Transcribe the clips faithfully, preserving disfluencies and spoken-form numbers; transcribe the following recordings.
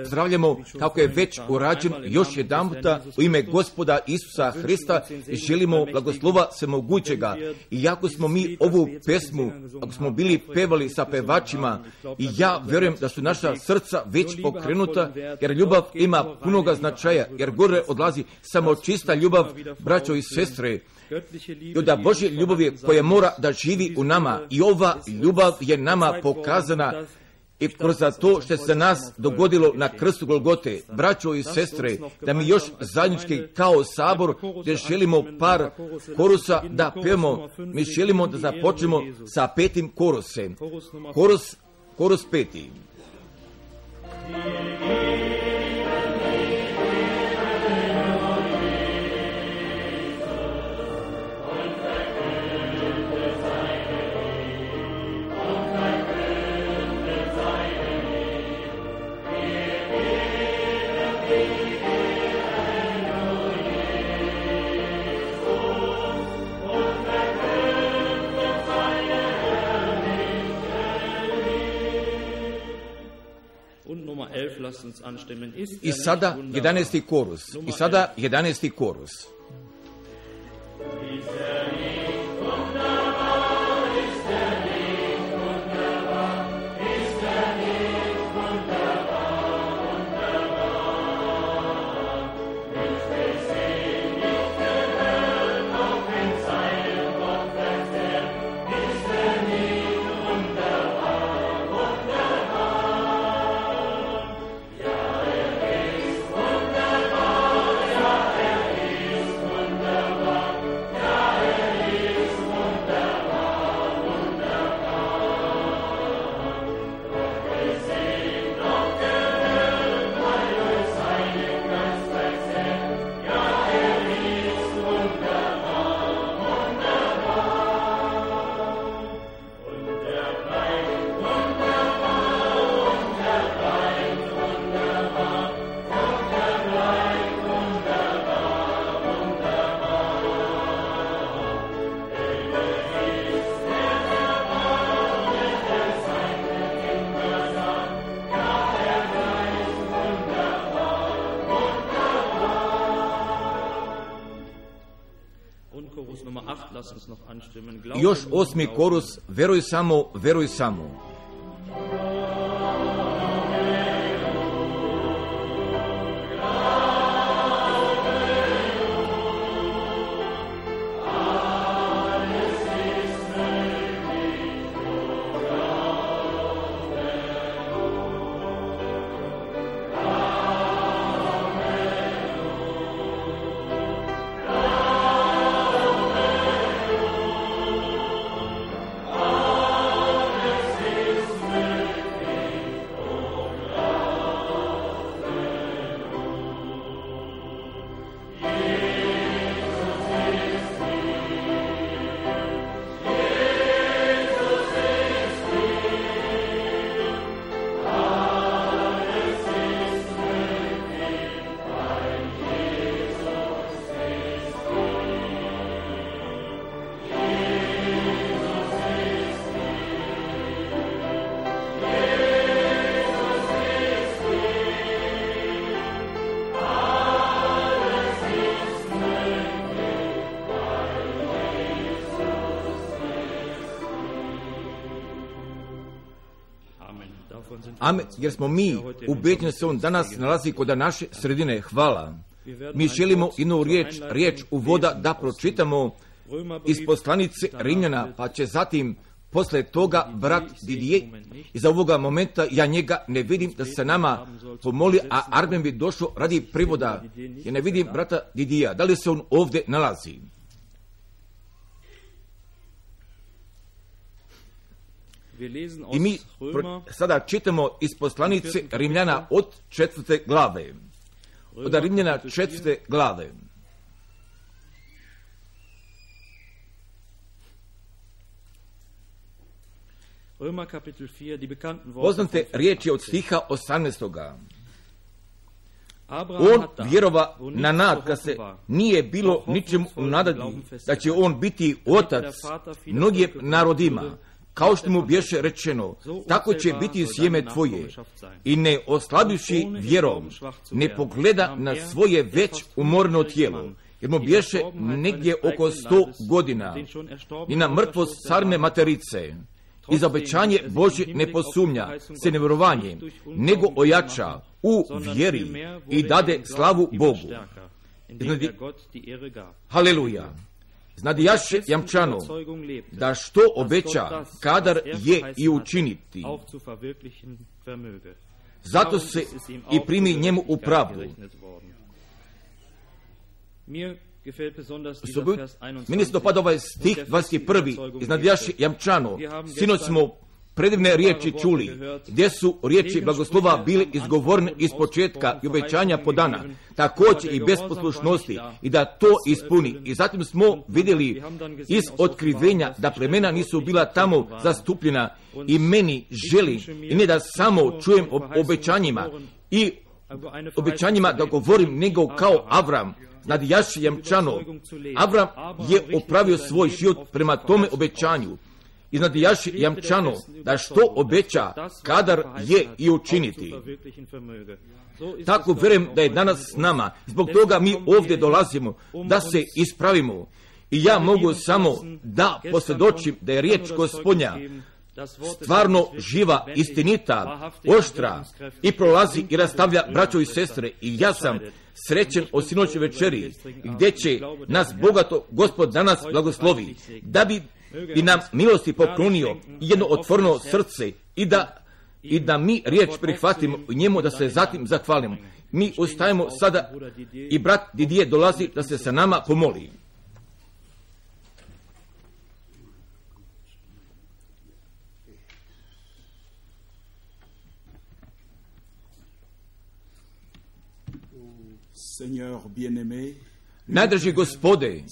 Zdravljamo, kako je već urađeno, još jedan puta u ime Gospoda Isusa Hrista i želimo blagoslova Svemogućega. I jako smo mi ovu pesmu, ako smo bili pevali sa pevačima, i ja vjerujem da su naša srca već pokrenuta, jer ljubav ima punoga značaja, jer gore odlazi samo čista ljubav, braćo i sestre. I da Božje ljubav je koja mora da živi u nama, i ova ljubav je nama pokazana i kroz to što se nas dogodilo na krstu Golgote. Braćo i sestre, da mi još zajednički kao sabor, gdje želimo par korusa da pevamo, mi želimo da započnemo sa petim korusem. Korus, korus peti. I sada jedanaesti korus. I sada jedanaesti korus. Još osmi korus, veruj samo, veruj samo. Amen, jer smo mi ubeđeni se on danas nalazi kod naše sredine. Hvala. Mi želimo jednu riječ, riječ uvoda da pročitamo iz poslanice Rimljana, pa će zatim posle toga brat Didije. Iz ovoga momenta ja njega ne vidim da se nama pomoli, a Arben bi došao radi privoda. Ja ne vidim brata Didija. Da li se on ovdje nalazi? I mi sada čitamo iz poslanice Rimljana od četvrte glave. Od Rimljana četvrte glave. Poznate riječi od stiha osamnaestoga. On vjerova na nad, kad se nije bilo ničemu nadati, da će on biti otac mnogim narodima. kao što mu bješe rečeno, tako će biti sjeme tvoje. I ne oslabivši vjerom, ne pogleda na svoje već umorno tijelo, jer mu bješe negdje oko sto godina, i na mrtvost carne materice. I za obećanje Božje ne posumnja se nevjerovanje, nego ojača u vjeri i dade slavu Bogu. Znadi, haleluja. Znadijaše jamčano da što obeća, kadar je i učiniti. Zato se i primi njemu u pravdu. Meni se dopada ovaj stih dvadeset prvi. Iznadijaše jamčano. Sinoć smo predivne riječi čuli, gdje su riječi blagoslova bili izgovorene iz početka i obećanja podana, također i bez poslušnosti, i da to ispuni. I zatim smo vidjeli iz otkrivenja da plemena nisu bila tamo zastupljena, i meni želi, i ne da samo čujem o obećanjima i obećanjima da govorim, nego kao Avram. Znadijaše jamčano, Avram je opravio svoj život prema tome obećanju. Iznadijaši jamčano da što obeća, kadar je i učiniti. Tako vjerujem da je danas s nama. Zbog toga mi ovdje dolazimo da se ispravimo. I ja mogu samo da posvjedočim da je riječ Gospodnja stvarno živa, istinita, oštra i prolazi i rastavlja braćo i sestre. I ja sam srećen o sinoćnoj večeri, gdje će nas bogato Gospod danas blagoslovi, da bi i nam milosti poklonio jedno otvoreno srce, i da, i da mi riječ prihvatimo i njemu, da se zatim zahvalimo. Mi ustajemo sada i brat Didije dolazi da se sa nama pomoli. Seigneur bien-aimé, Najdraži Gospode,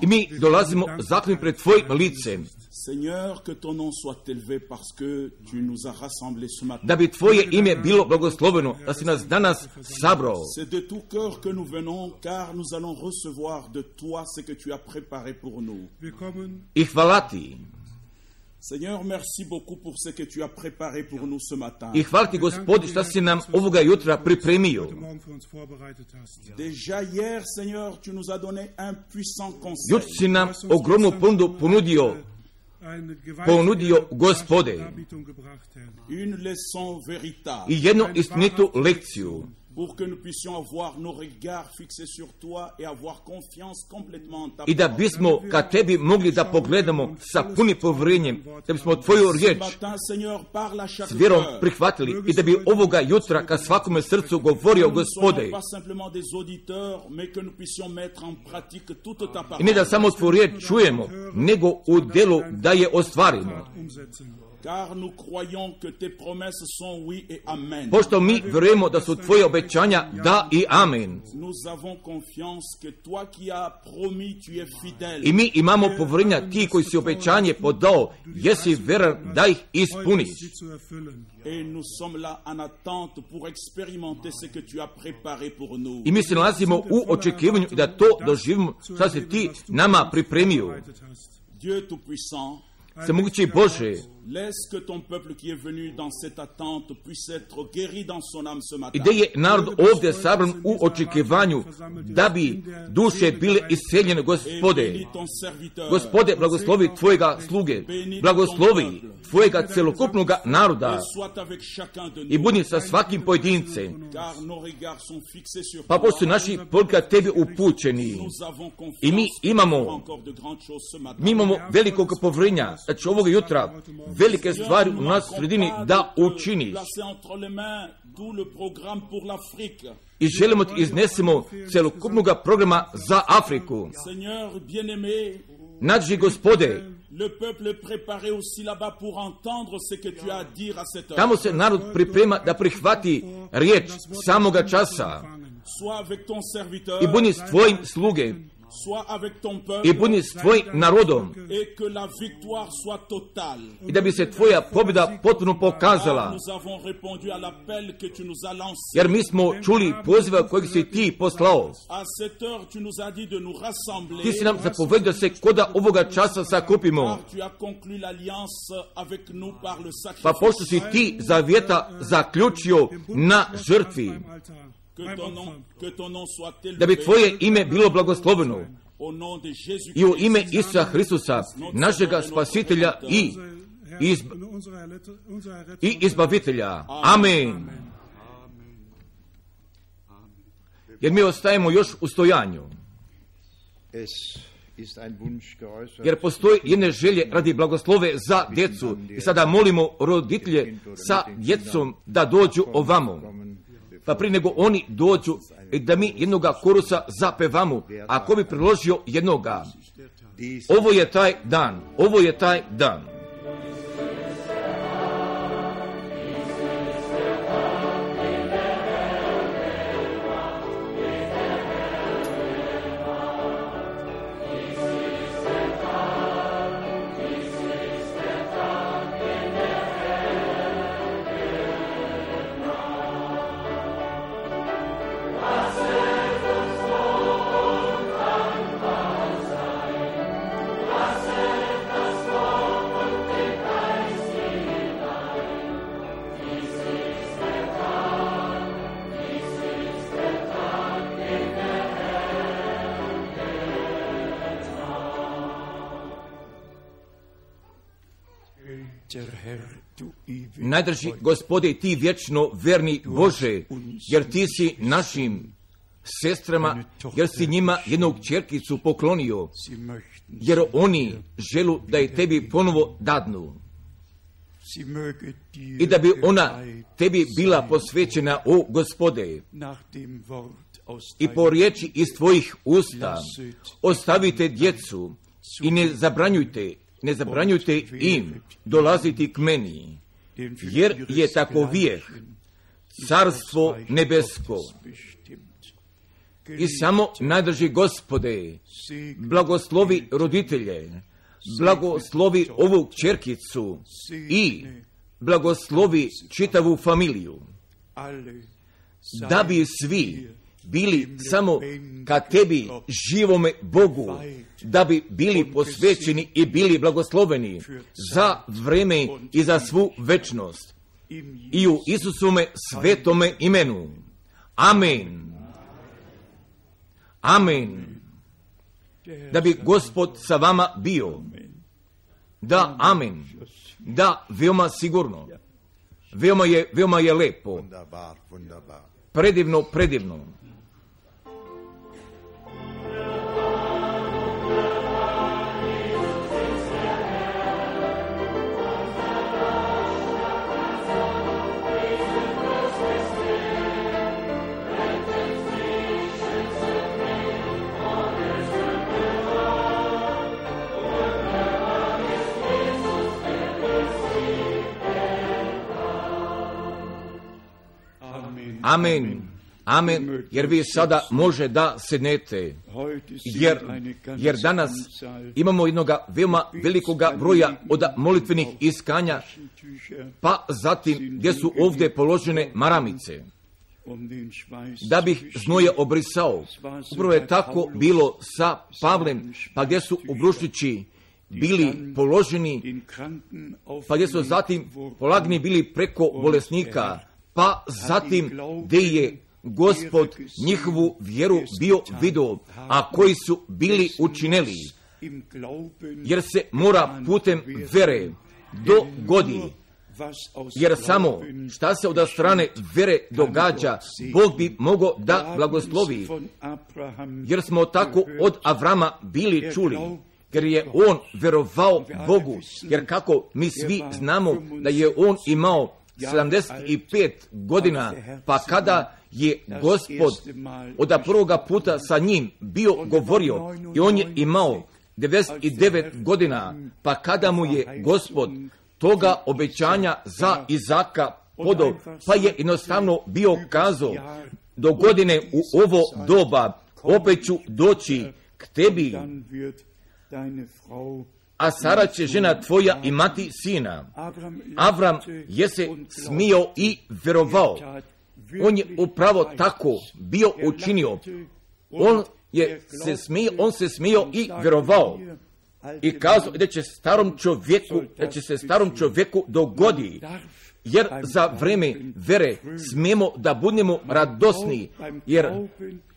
i mi dolazimo zahvalni pred Tvojim licem, da bi Tvoje ime bilo blagosloveno, da si nas danas sabrao. I hvala Ti. Seigneur, merci beaucoup pour ce que tu as préparé pour nous ce matin. I hvala Ti, Gospodi, što si nam ovoga jutra pripremio. Déjà hier, Seigneur, tu nous as donné un puissant conseil. Juč si nam ogromnu ponudu ponudio, ponudio Gospode. Une leçon véritable. I jednu istinitu lekciju. Pour que nous puissions avoir nos regards fixés sur toi et avoir confiance complètement en ta parole. I da bismo ka Tebi mogli da pogledamo sa punim povjerenjem, da bismo Tvoju riječ s vjerom prihvatili i da bi ovoga jutra ka svakome srcu govorio Gospode. I ne da samo Tvoju riječ čujemo, nego u djelu da je ostvarimo. Car nous croyons que tes promesses sont oui et amen. Pošto mi vjerujemo da su Tvoje obećanja da i amen. Nous avons confiance que toi qui as promis, tu es fidèle. I mi imamo povjerenja, Ti koji si obećanje podao, jesi vjeran da ih ispuniš. Et nous sommes là en attente pour expérimenter ce que tu as préparé pour nous. I mi se nalazimo u očekivanju da to doživimo što si Ti nama pripremio. Dieu tout-puissant, Svemogući Bože, laisse que ton peuple qui est venu dans cette attente puisse être guéri dans son âme ce matin. I da je narod ovdje sabran u očekivanju da bi duše bile isceljene, Gospode. Gospode, blagoslovi Tvojega sluge, blagoslovi Tvojega celokupnog naroda i budi sa svakim pojedincem. Pa pošto naši pogledi ka Tebi upućeni i mi imamo, mi imamo velikog povjerenja da će ovoga jutra velike stvari u nas sredini da učiniš. I želimo Ti iznesemo celokupnog programa za Afriku. Nađi, Gospode, tamo se narod priprema da prihvati riječ samoga časa. I budi s Tvojim sluge, i budi s tvojim narodom i da bi se tvoja pobjeda potpuno pokazala. Jer mi smo čuli poziva kojeg si ti poslao. Ti si nam zapovedio da se koda ovoga časa sakupimo. Pa pošto si ti zavjeta zaključio na žrtvi, da bi tvoje ime bilo blagosloveno i u ime Isusa Hristusa, našega spasitelja i, izb... i izbavitelja. Amen. Jer mi ostajemo još u stojanju. Jer postoji jedne želje radi blagoslove za djecu i sada molimo roditelje sa djecom da dođu ovamo. Pa prije nego oni dođu da mi jednoga korusa zapevamo, ako bi priložio jednoga. Ovo je taj dan, ovo je taj dan. Najdrži Gospode, ti vječno verni Bože, jer ti si našim sestrama, jer si njima jednog čerkicu poklonio, jer oni želu da je tebi ponovo dadnu i da bi ona tebi bila posvećena, o Gospode. I po riječi iz tvojih usta ostavite djecu i ne zabranjujte, ne zabranjujte im dolaziti k meni, jer je tako vijeh, carstvo nebesko. I samo najdrži Gospode, blagoslovi roditelje, blagoslovi ovu kćerkicu i blagoslovi čitavu familiju, da bi svi bili samo ka tebi, živome Bogu, da bi bili posvećeni i bili blagosloveni za vreme i za svu večnost. I u Isusome svetome imenu. Amen. Amen. Da bi Gospod sa vama bio. Da, amen. Da, veoma sigurno. Veoma je, veoma je lepo. Predivno, predivno. Amen. Amen. Jer vi sada može da sednete. Jer, jer danas imamo jednog veoma velikoga broja od molitvenih iskanja, pa zatim gdje su ovdje položene maramice, da bih znoje obrisao. Upravo je tako bilo sa Pavlem, pa gdje su obrušići bili položeni, pa gdje su zatim polagni bili preko bolesnika, pa zatim gdje je Gospod njihovu vjeru bio vidio, a koji su bili učinili, jer se mora putem vere dogodi, jer samo šta se od strane vere događa, Bog bi mogao da blagoslovi, jer smo tako od Avrama bili čuli, jer je on verovao Bogu, jer kako mi svi znamo da je on imao sedamdeset pet godina, pa kada je Gospod od prvoga puta sa njim bio govorio i on je imao devedeset devet godina, pa kada mu je Gospod toga obećanja za Izaka podao, pa je jednostavno bio kazao, do godine u ovo doba opet ću doći k tebi, a Sara će žena tvoja imati sina. Avram je se smio i vjerovao. On je upravo tako bio učinio. On je se smio, on se smio i vjerovao. I kazao da će starom čovjeku, da će se starom čovjeku dogodi. Jer za vrijeme vere smijemo da budemo radosni, jer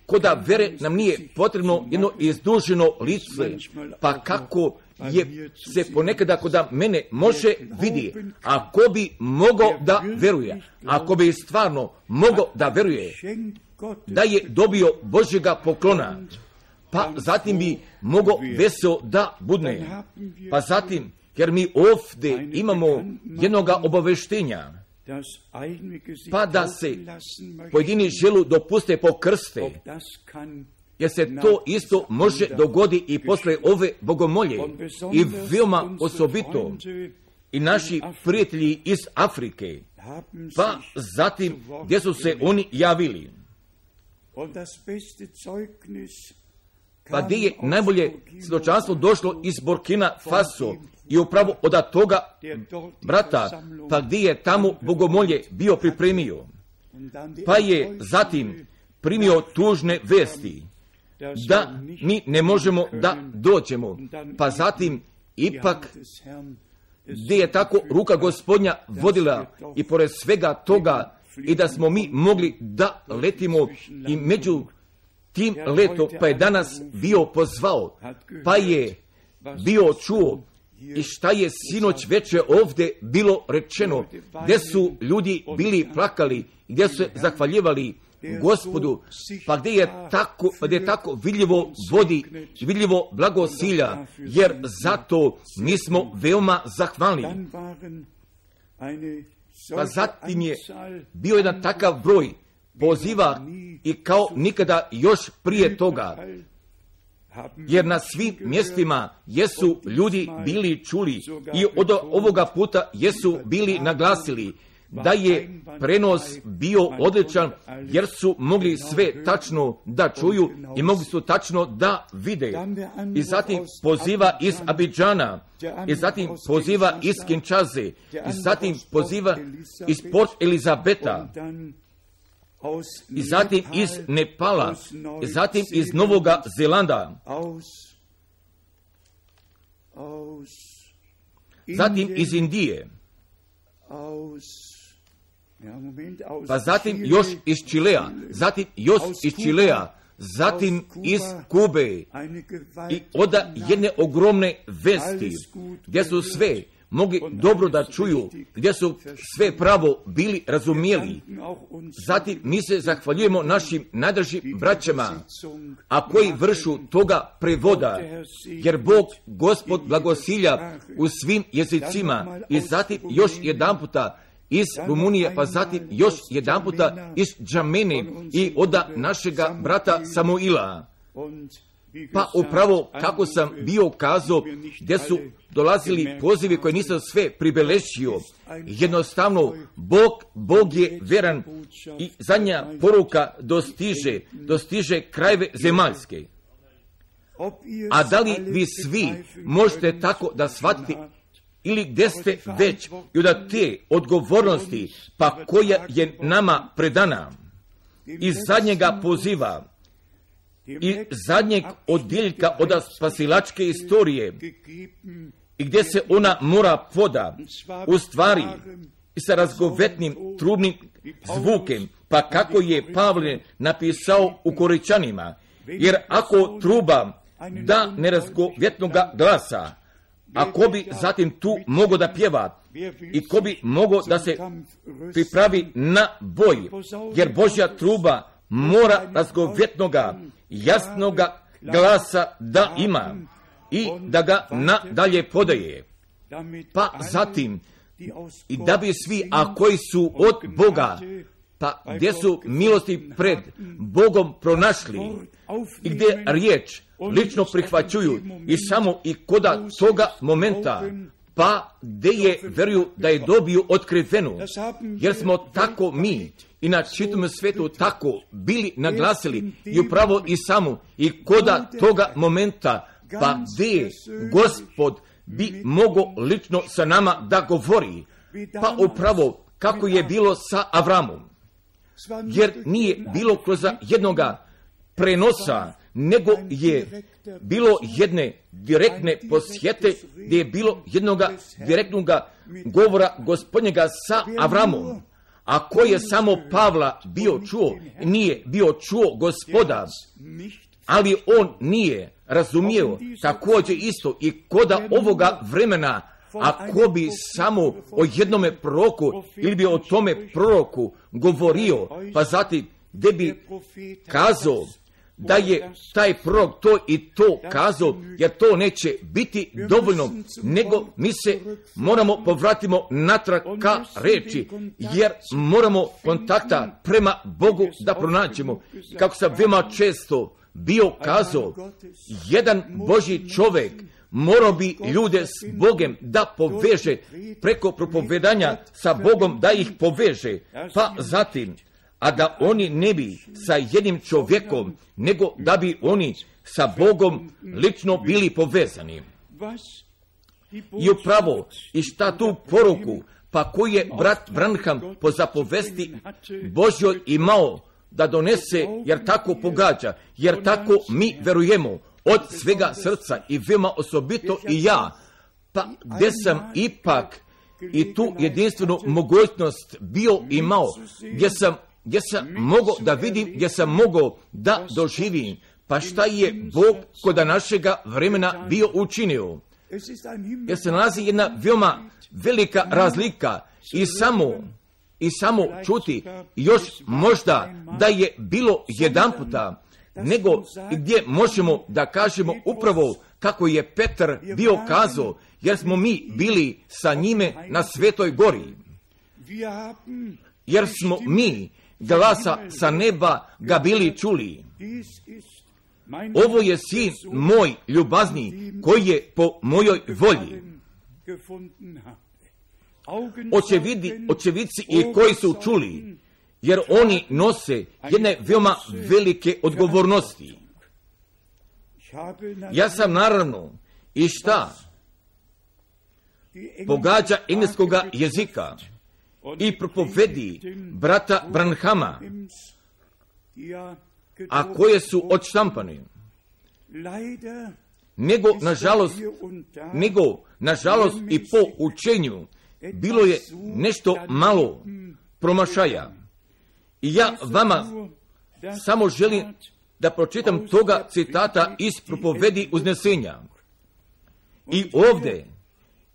koda vere nam nije potrebno jedno izduženo lice, pa kako je se ponekada koda mene može vidi, ako bi mogao da veruje, ako bi stvarno mogao da veruje, da je dobio Božjega poklona, pa zatim bi mogao veseo da budne, pa zatim, jer mi ovdje imamo jednoga obaveštenja, pa da se pojedini želu dopuste pokrste, jer se to isto može dogodi i posle ove bogomolje, i veoma osobito i naši prijatelji iz Afrike, pa zatim gdje su se oni javili. Pa gdje je najbolje svjedočanstvo došlo iz Burkina Faso i upravo od toga brata, pa gdje je tamo bogomolje bio pripremio, pa je zatim primio tužne vesti da mi ne možemo da dođemo, pa zatim ipak gdje je tako ruka Gospodnja vodila i pored svega toga i da smo mi mogli da letimo i među tim letom, pa je danas bio pozvao, pa je bio čuo i šta je sinoć večer ovdje bilo rečeno, gdje su ljudi bili plakali, gdje su se zahvaljivali Gospodu, pa gdje je tako, gdje je tako vidljivo vodi i vidljivo blagosilja, jer zato mi smo veoma zahvalni. Pa zatim je bio jedan takav broj poziva i kao nikada još prije toga, jer na svim mjestima jesu ljudi bili čuli i od ovoga puta jesu bili naglasili da je prenos bio odličan, jer su mogli sve tačno da čuju i mogli su tačno da vide. I zatim poziva iz Abidžana, i zatim poziva iz Kinčaze, i zatim poziva iz Port Elizabeta, i zatim iz Nepala, i zatim iz Novoga Zelanda, zatim iz Indije, pa zatim još iz Čilea, zatim još iz Čilea, zatim iz Kube i oda jedne ogromne vesti, gdje su sve mogli dobro da čuju, gdje su sve pravo bili razumijeli. Zatim mi se zahvaljujemo našim najdražim braćama, a koji vršu toga prevoda, jer Bog, Gospod blagosilja u svim jezicima. I zatim još jedan puta iz Rumunije, pa zatim još jedan puta iz Džamene i od našega brata Samuila. Pa upravo kako sam bio kazao, gdje su dolazili pozivi koji nisam sve pribeležio, jednostavno Bog, Bog je veran i zadnja poruka dostiže, dostiže krajeve zemaljske. A da li vi svi možete tako da shvatite ili gdje ste već i od te odgovornosti, pa koja je nama predana iz zadnjega poziva i zadnjeg odjeljka od spasilačke istorije i gdje se ona mora poda u stvari i sa razgovetnim trubnim zvukem, pa kako je Pavle napisao u Koričanima, jer ako truba da nerazgovetnoga glasa, a ko bi zatim tu mogo da pjeva i ko bi mogo da se pripravi na boj, jer Božja truba mora razgovetnoga, jasnoga glasa da ima i da ga nadalje podaje. Pa zatim, i da bi svi, a koji su od Boga, pa gdje su milosti pred Bogom pronašli i gdje riječ lično prihvaćuju i samo i koda toga momenta pa gdje je veruju da je dobio otkrivenu, jer smo tako mi i na čitavom svijetu tako bili naglasili i upravo i samo i koda toga momenta, pa gdje Gospod bi mogao lično sa nama da govori, pa upravo kako je bilo sa Avramom, jer nije bilo kroz jednoga prenosa, nego je bilo jedne direktne posjete, gdje je bilo jednoga direktnog govora Gospodnjega sa Avramom, a koji je samo Pavla bio čuo, nije bio čuo Gospoda, ali on nije razumio također isto i koda ovoga vremena, ako bi samo o jednome proroku ili bi o tome proroku govorio, pa zatim gdje bi kazao da je taj prorok to i to kazao, jer to neće biti dovoljno, nego mi se moramo povratimo natrag ka reči, jer moramo kontakta prema Bogu da pronađemo. Kako sam veoma često bio kazao, jedan Božji čovjek morao bi ljude s Bogom da poveže, preko propovedanja sa Bogom da ih poveže, pa zatim, a da oni ne bi sa jednim čovjekom, nego da bi oni sa Bogom lično bili povezani. I upravo, i šta tu poruku, pa koji je brat Branham po zapovesti Božjoj imao da donese, jer tako pogađa, jer tako mi verujemo od svega srca i veoma osobito i ja, pa gdje sam ipak i tu jedinstvenu mogućnost bio imao, gdje sam gdje sam mogao da vidim, gdje sam mogao da doživim, pa šta je Bog koda našega vremena bio učinio. Jer se nalazi jedna veoma velika razlika i samo, i samo čuti još možda da je bilo jedan puta, nego gdje možemo da kažemo upravo kako je Petar bio kazao, jer smo mi bili sa njime na Svetoj gori. Jer smo mi glasa sa neba ga bili čuli. Ovo je sin moj ljubazni, koji je po mojoj volji. Očevidi, očevici i koji su čuli, jer oni nose jedne veoma velike odgovornosti. Ja sam naravno i šta pogađa engleskoga jezika i propovedi brata Branhama, a koje su odštampane. Nego, nažalost, nego, nažalost i po učenju, bilo je nešto malo promašaja. I ja vama samo želim da pročitam toga citata iz propovedi uznesenja. I ovdje,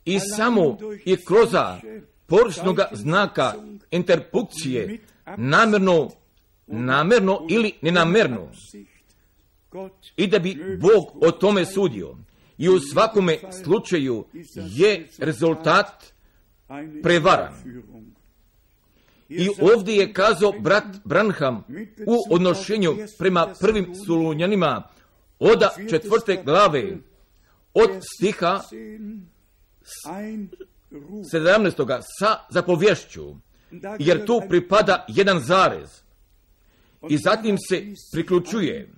i samo i kroz površnog znaka interpunkcije, namjerno, namjerno ili nenamerno, i da bi Bog o tome sudio. I u svakome slučaju je rezultat prevaran. I ovdje je kazao brat Branham u odnošenju prema prvim Solunjanima od četvrte glave od stiha sedamnaestoga sa zapovješću, jer tu pripada jedan zarez. I zatim se priključuje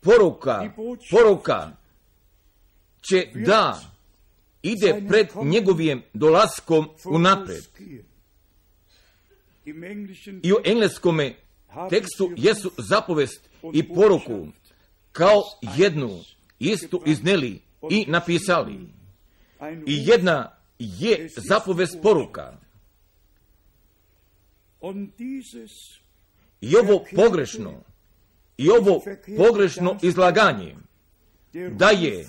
poruka, poruka će da ide pred njegovim dolaskom unapred. I u engleskome tekstu jesu zapovest i poruku kao jednu istu izneli i napisali. I jedna je zapovest poruka. I ovo pogrešno, i ovo pogrešno izlaganje da je,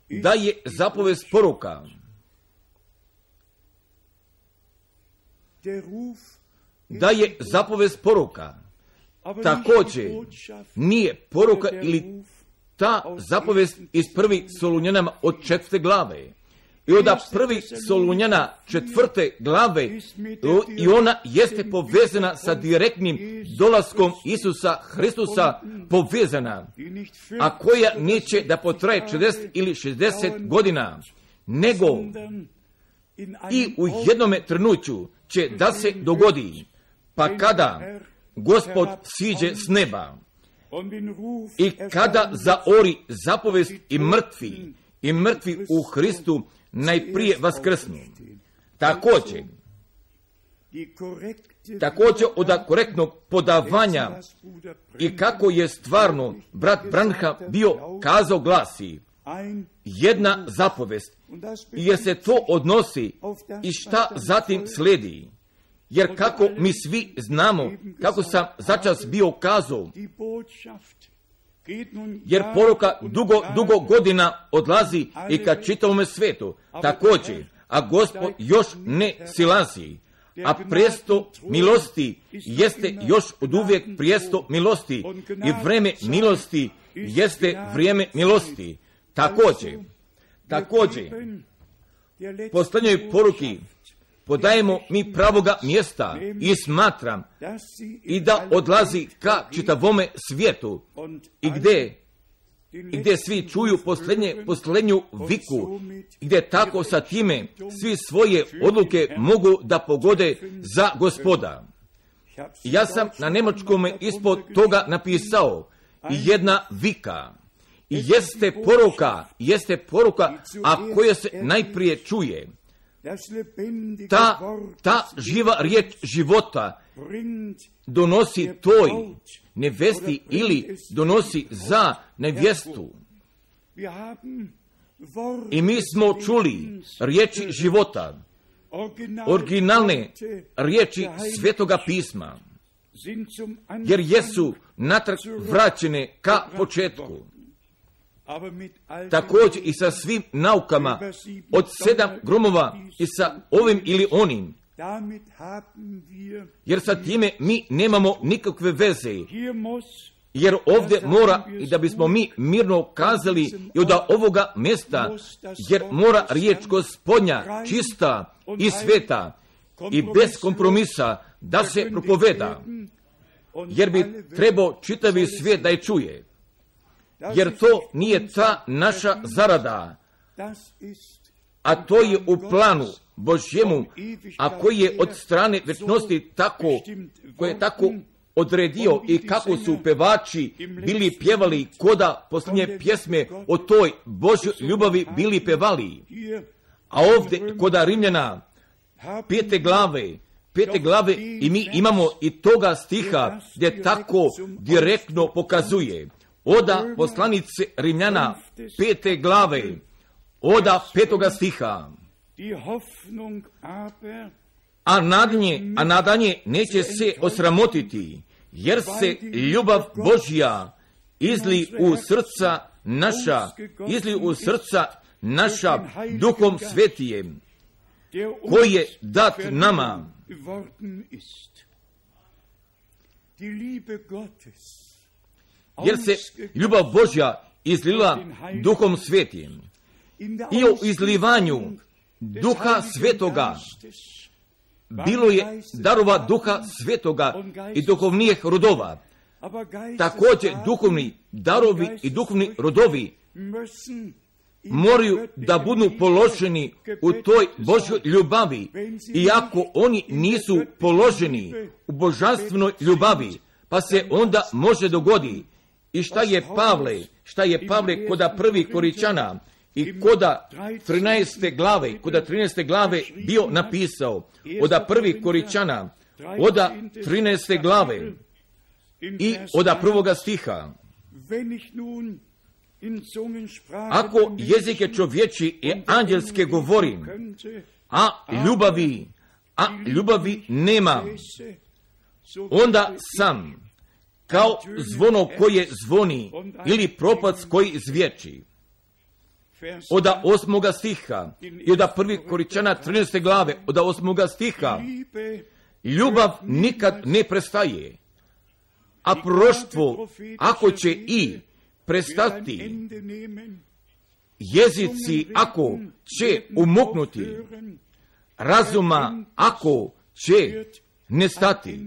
da je zapovest poruka. Da je zapovest poruka. Također nije poruka ili ta zapovest iz prvih Solunjanama od četvrte glave, I od prvi Solunjana četvrte glave i ona jeste povezana sa direktnim dolaskom Isusa Hristusa, povezana, a koja neće da potraje četrdeset ili šezdeset godina, nego i u jednome trenuću će da se dogodi, pa kada Gospod siđe s neba i kada zaori zapovest i mrtvi, i mrtvi u Hristu najprije vaskrsnu. Također, također od korektnog podavanja i kako je stvarno brat Branham bio kazao glasi jedna zapovest, jer se to odnosi i šta zatim slijedi. Jer kako mi svi znamo, kako sam začas bio kazao, jer poruka dugo, dugo godina odlazi i ka čitavome svetu, također, a Gospod još ne silazi, a prijesto milosti jeste još od uvijek prijesto milosti i vreme milosti jeste vrijeme milosti. Također, također, posljednjoj poruki podajemo mi pravoga mjesta i smatram i da odlazi ka čitavome svijetu i gdje, i gdje svi čuju posljednje, posljednju viku, i gdje tako sa time svi svoje odluke mogu da pogode za Gospoda. Ja sam na njemačkome ispod toga napisao jedna vika. I jeste poruka, jeste poruka, a koja se najprije čuje. Ta, ta živa riječ života donosi toj nevesti ili donosi za nevjestu. I mi smo čuli riječi života, originalne riječi Svetoga pisma, jer jesu natrag vraćene ka početku. Također i sa svim naukama od sedam gromova i sa ovim ili onim, jer sa time mi nemamo nikakve veze, jer ovdje mora, i da bismo mi mirno kazali i od ovoga mjesta, jer mora riječ Gospodnja čista i sveta i bez kompromisa da se propoveda, jer bi trebao čitavi svijet da je čuje. Jer to nije ta naša zarada, a to je u planu Božjemu, a koji je od strane večnosti tako, koji je tako odredio i kako su pevači bili pjevali, koda posljednje pjesme o toj Božjoj ljubavi bili pevali. A ovdje koda Rimljana pete glave, pete glave i mi imamo i toga stiha gdje tako direktno pokazuje. Oda poslanice Rimljana pete glave, oda petoga stiha. A nadanje, a nadanje neće se osramotiti, jer se ljubav Božja izli u srca naša, izli u srca naša Duhom Svetijem, koji je dat nama. Jer se ljubav Božja izlila Duhom Svetijem. I o izlivanju Duha Svetoga bilo je darova Duha Svetoga i duhovnijih rodova. Također duhovni darovi i duhovni rodovi moraju da budu položeni u toj Božjoj ljubavi. Iako oni nisu položeni u božanstvenoj ljubavi, pa se onda može dogodi. I šta je Pavle, šta je Pavle koda prvi Koričana i koda trinaeste glave, koda trinaeste glave bio napisao, oda prvi Koričana, oda trinaeste glave i oda prvoga stiha. Ako jezike čovječi i anđelske govorim, a ljubavi, a ljubavi nema, onda sam kao zvono koje zvoni ili propac koji zviječi. Oda osmoga stiha i oda prvi Koričana trinaeste glave, oda osmoga stiha, ljubav nikad ne prestaje, a proštvo ako će i prestati, jezici ako će umuknuti, razuma ako će nestati,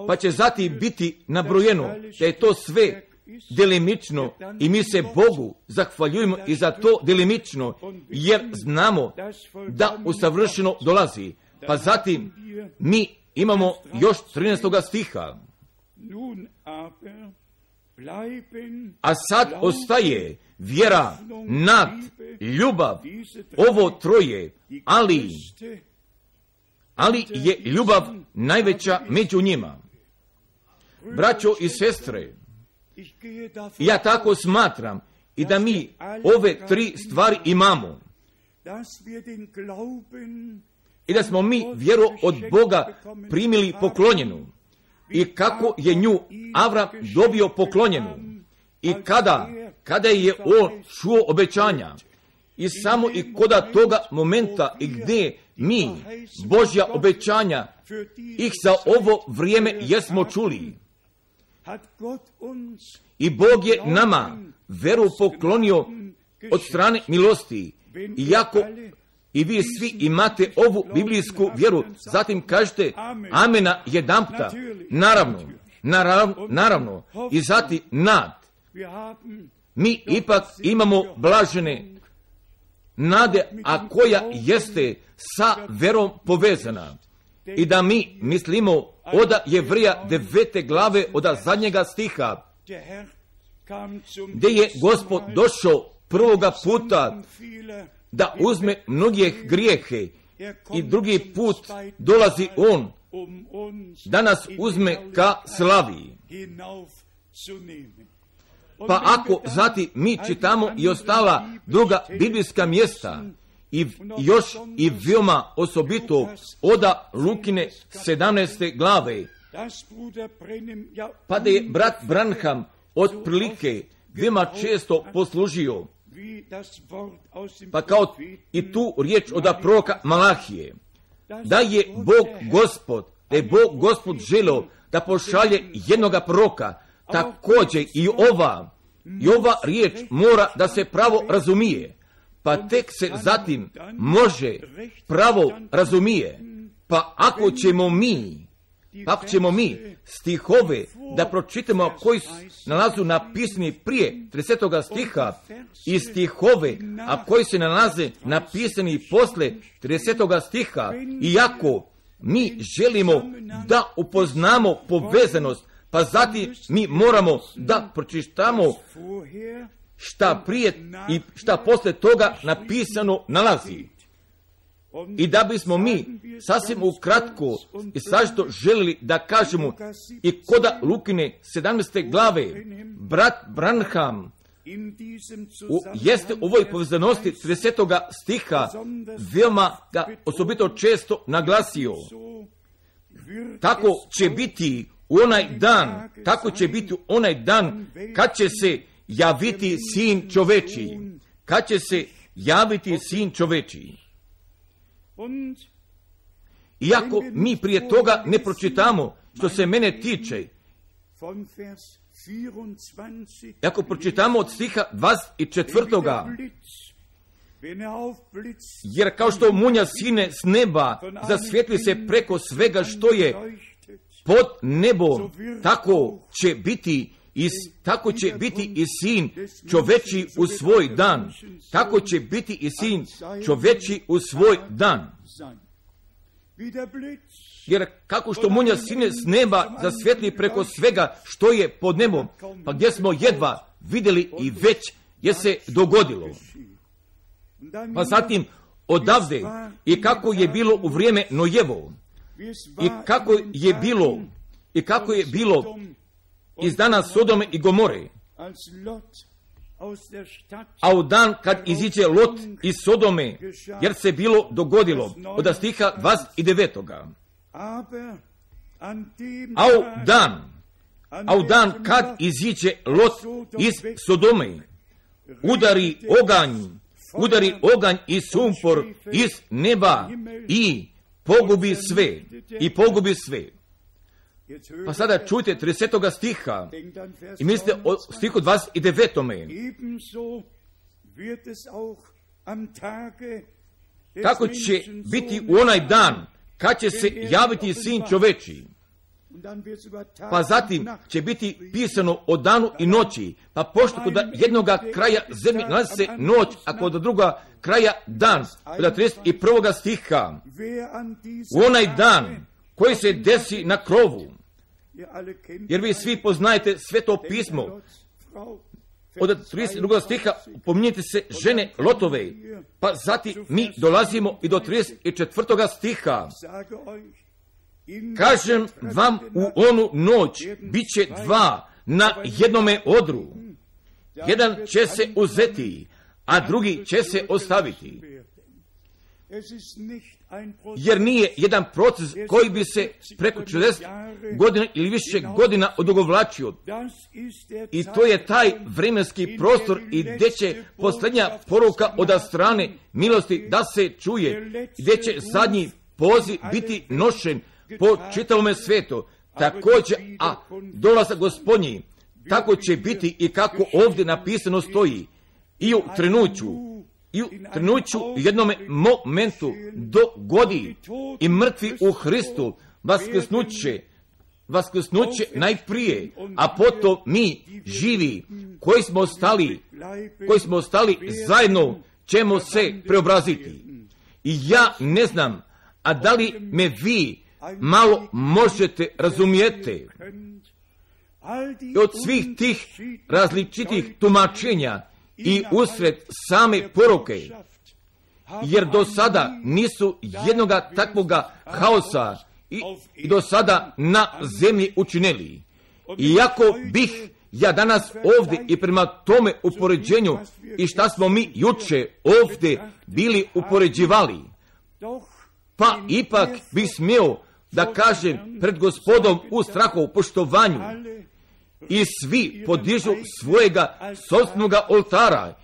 pa će zatim biti nabrojeno da je to sve delimično i mi se Bogu zahvaljujemo i za to delimično, jer znamo da usavršeno dolazi. Pa zatim mi imamo još trinaestoga stiha. A sad ostaje vjera, nad, ljubav, ovo troje, ali, ali je ljubav najveća među njima. Braćo i sestre, ja tako smatram i da mi ove tri stvari imamo i da smo mi vjeru od Boga primili poklonjenu i kako je nju Avram dobio poklonjenu i kada, kada je on čuo obećanja i samo i koda toga momenta i gdje mi Božja obećanja ih za ovo vrijeme jesmo čuli. I Bog je nama veru poklonio od strane milosti, iako i vi svi imate ovu biblijsku vjeru. Zatim kažete amena jedanputa, naravno, naravno, naravno, i zatim nad. Mi ipak imamo blažene nade, a koja jeste sa verom povezana. I da mi mislimo od Jevrija devete glave od zadnjega stiha, gdje je Gospod došao prvoga puta da uzme mnoge grijehe i drugi put dolazi on da nas uzme ka slavi. Pa ako zatim mi čitamo i ostala druga biblijska mjesta i još i veoma osobito oda Lukine sedamnaeste glave, pa da je brat Branham otprilike veoma često poslužio, pa kao i tu riječ od proroka Malahije, da je Bog Gospod, da je Bog Gospod želio da pošalje jednoga proroka, također i ova, i ova riječ mora da se pravo razumije, pa tek se zatim može pravo razumije. Pa ako ćemo mi, pa ako ćemo mi stihove da pročitamo koji nalazu napisani prije tridesetoga stiha i stihove, a koji se nalaze napisani posle tridesetoga stiha, iako mi želimo da upoznamo povezanost, pa zatim mi moramo da pročitamo šta prije i šta posle toga napisano nalazi. I da bismo mi sasvim ukratko i sažito želili da kažemo i koda Lukine sedamnaeste glave, brat Branham u, jeste u ovoj povezanosti tridesetoga stiha veoma ga osobito često naglasio. Tako će biti u onaj dan, tako će biti u onaj dan kad će se javiti sin čovečiji, kad će se javiti sin čovečiji. Iako mi prije toga ne pročitamo, što se mene tiče, ako pročitamo od stiha dvadeset četvrtoga, jer kao što munja sine s neba, zasvjetli se preko svega što je pod nebom, tako će biti i tako će biti i sin čoveči u svoj dan. Tako će biti i sin čoveči u svoj dan. Jer kako što munja sine s neba zasvjetli preko svega što je pod nebom, pa gdje smo jedva vidjeli i već je se dogodilo. Pa zatim odavde i kako je bilo u vrijeme Nojevo i kako je bilo i kako je bilo iz dana Sodome i Gomore, a u dan kad iziđe Lot iz Sodome, jer se bilo dogodilo od stiha dvadeset devetoga. A u dan, a u dan kad iziđe Lot iz Sodome, udari oganj, udari oganj i sumpor iz neba i pogubi sve, i pogubi sve. Pa sada čujte tridesetoga stiha i mislite o stihu dvadeset devetome. Kako će biti u onaj dan kad će se javiti Sin čoveči. Pa zatim će biti pisano o danu i noći, pa pošto kod jednoga kraja zemlje nalazi se noć, a kod druga kraja dan, kod trideset prvog stiha, u onaj dan koji se desi na krovu, jer vi svi poznajete Sveto pismo, od trideset drugog stiha pominjete se žene Lotove, pa zatim mi dolazimo i do trideset četvrtog stiha. Kažem vam, u onu noć bit će dva na jednome odru. Jedan će se uzeti, a drugi će se ostaviti. Jer nije jedan proces koji bi se preko četrdeset godina ili više godina odugovlačio. I to je taj vremenski prostor i gdje će posljednja poruka od strane milosti da se čuje, gdje će zadnji poziv biti nošen po čitavome svijetu. Također, a dolazak Gospodnji, tako će biti i kako ovdje napisano stoji. I u trenuću, i u trenuću jednome momentu dogodi i mrtvi u Hristu vaskrsnuće, vaskrsnuće najprije, a potom mi živi koji smo ostali, koji smo ostali zajedno ćemo se preobraziti. I ja ne znam, a da li me vi malo možete razumijeti od svih tih različitih tumačenja i usred same poruke, jer do sada nisu jednoga takvoga haosa i, i do sada na zemlji učinili. Iako bih ja danas ovdje i prema tome upoređenju i šta smo mi juče ovdje bili upoređivali, pa ipak bih smio da kažem pred Gospodom u strahu poštovanju i svi podižu svojega sobstvenoga oltara,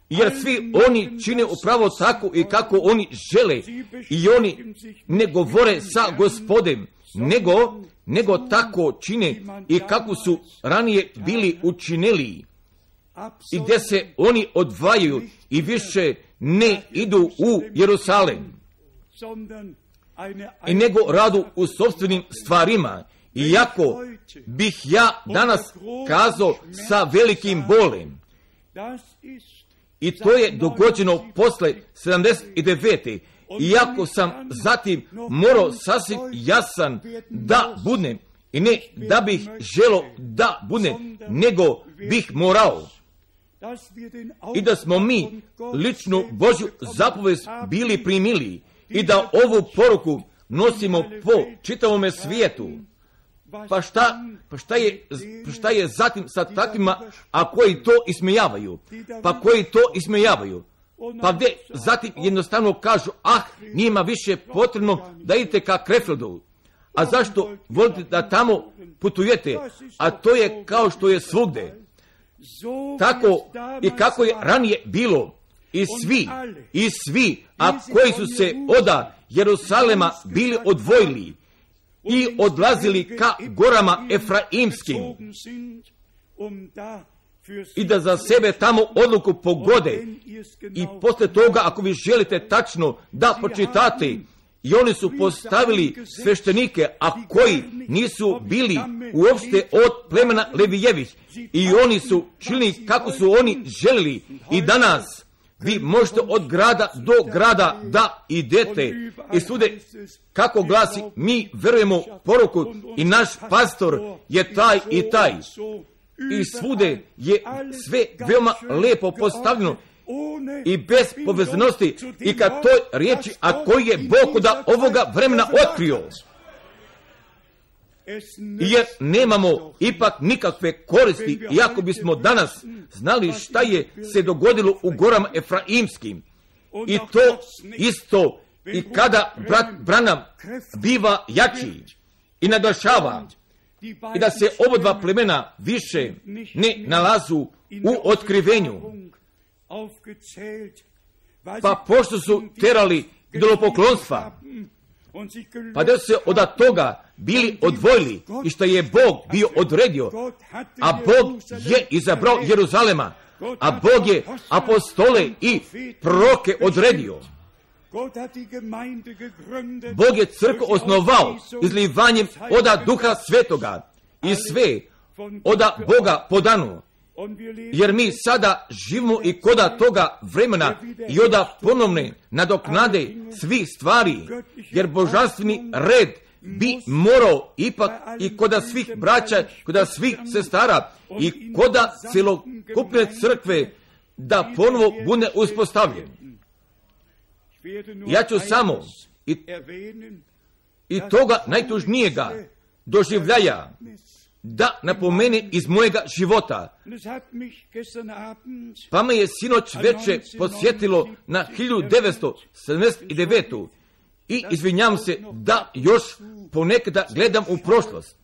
jer svi oni čine upravo tako i kako oni žele i oni ne govore sa Gospodem, nego, nego tako čine i kako su ranije bili učinili i gdje se oni odvajaju i više ne idu u Jerusalem i nego radu u sopstvenim stvarima. Iako bih ja danas kazao sa velikim bolem, i to je dogođeno posle sedamdeset devete. Iako sam zatim morao sasvim jasan da budem, i ne da bih želo da budem, nego bih morao. I da smo mi ličnu Božju zapovest bili primili i da ovu poruku nosimo po čitavome svijetu. Pa šta, pa šta je, pa šta je zatim sa takvima, a koji to ismejavaju? Pa koji to ismejavaju? Pa gdje zatim jednostavno kažu, ah, njima više potrebno da idete ka Krefeldu. A zašto volite da tamo putujete? A to je kao što je svugde. Tako i kako je ranije bilo. I svi, i svi, a koji su se oda Jerusalema bili odvojili i odlazili ka gorama Efraimskim i da za sebe tamo odluku pogode. I posle toga, ako vi želite tačno da pročitate, i oni su postavili sveštenike, a koji nisu bili uopšte od plemena Levijevih, i oni su činili kako su oni želili. I danas vi možete od grada do grada da idete i svude kako glasi, mi verujemo poruku i naš pastor je taj i taj. I svude je sve veoma lepo postavljeno i bez povezanosti i kad toj riječi, a koji je Bog da ovoga vremena otkrio. Jer nemamo ipak nikakve koristi, iako bismo danas znali šta je se dogodilo u gorama Efraimskim. I to isto i kada brat Branham biva jači i naglašava i da se oba dva plemena više ne nalazu u otkrivenju. Pa pošto su terali idolopoklonstva, pa da se od toga bili odvojili i što je Bog bio odredio, a Bog je izabrao Jeruzalema, a Bog je apostole i proroke odredio. Bog je crkvu osnovao izlivanjem oda Duha Svetoga i sve oda Boga podano. Jer mi sada živimo i koda toga vremena i oda ponovne nadoknade svih stvari, jer božanstveni red bi morao ipak i koda svih braća, koda svih sestara i koda celokupne crkve da ponovo bude uspostavljen. Ja ću samo i, i toga najtužnijega doživljaja da napomene iz mojega života. Pa me je sinoć veče posjetilo na hiljadu devetsto sedamdeset devetu. I izvinjam se da još ponekada gledam u prošlost.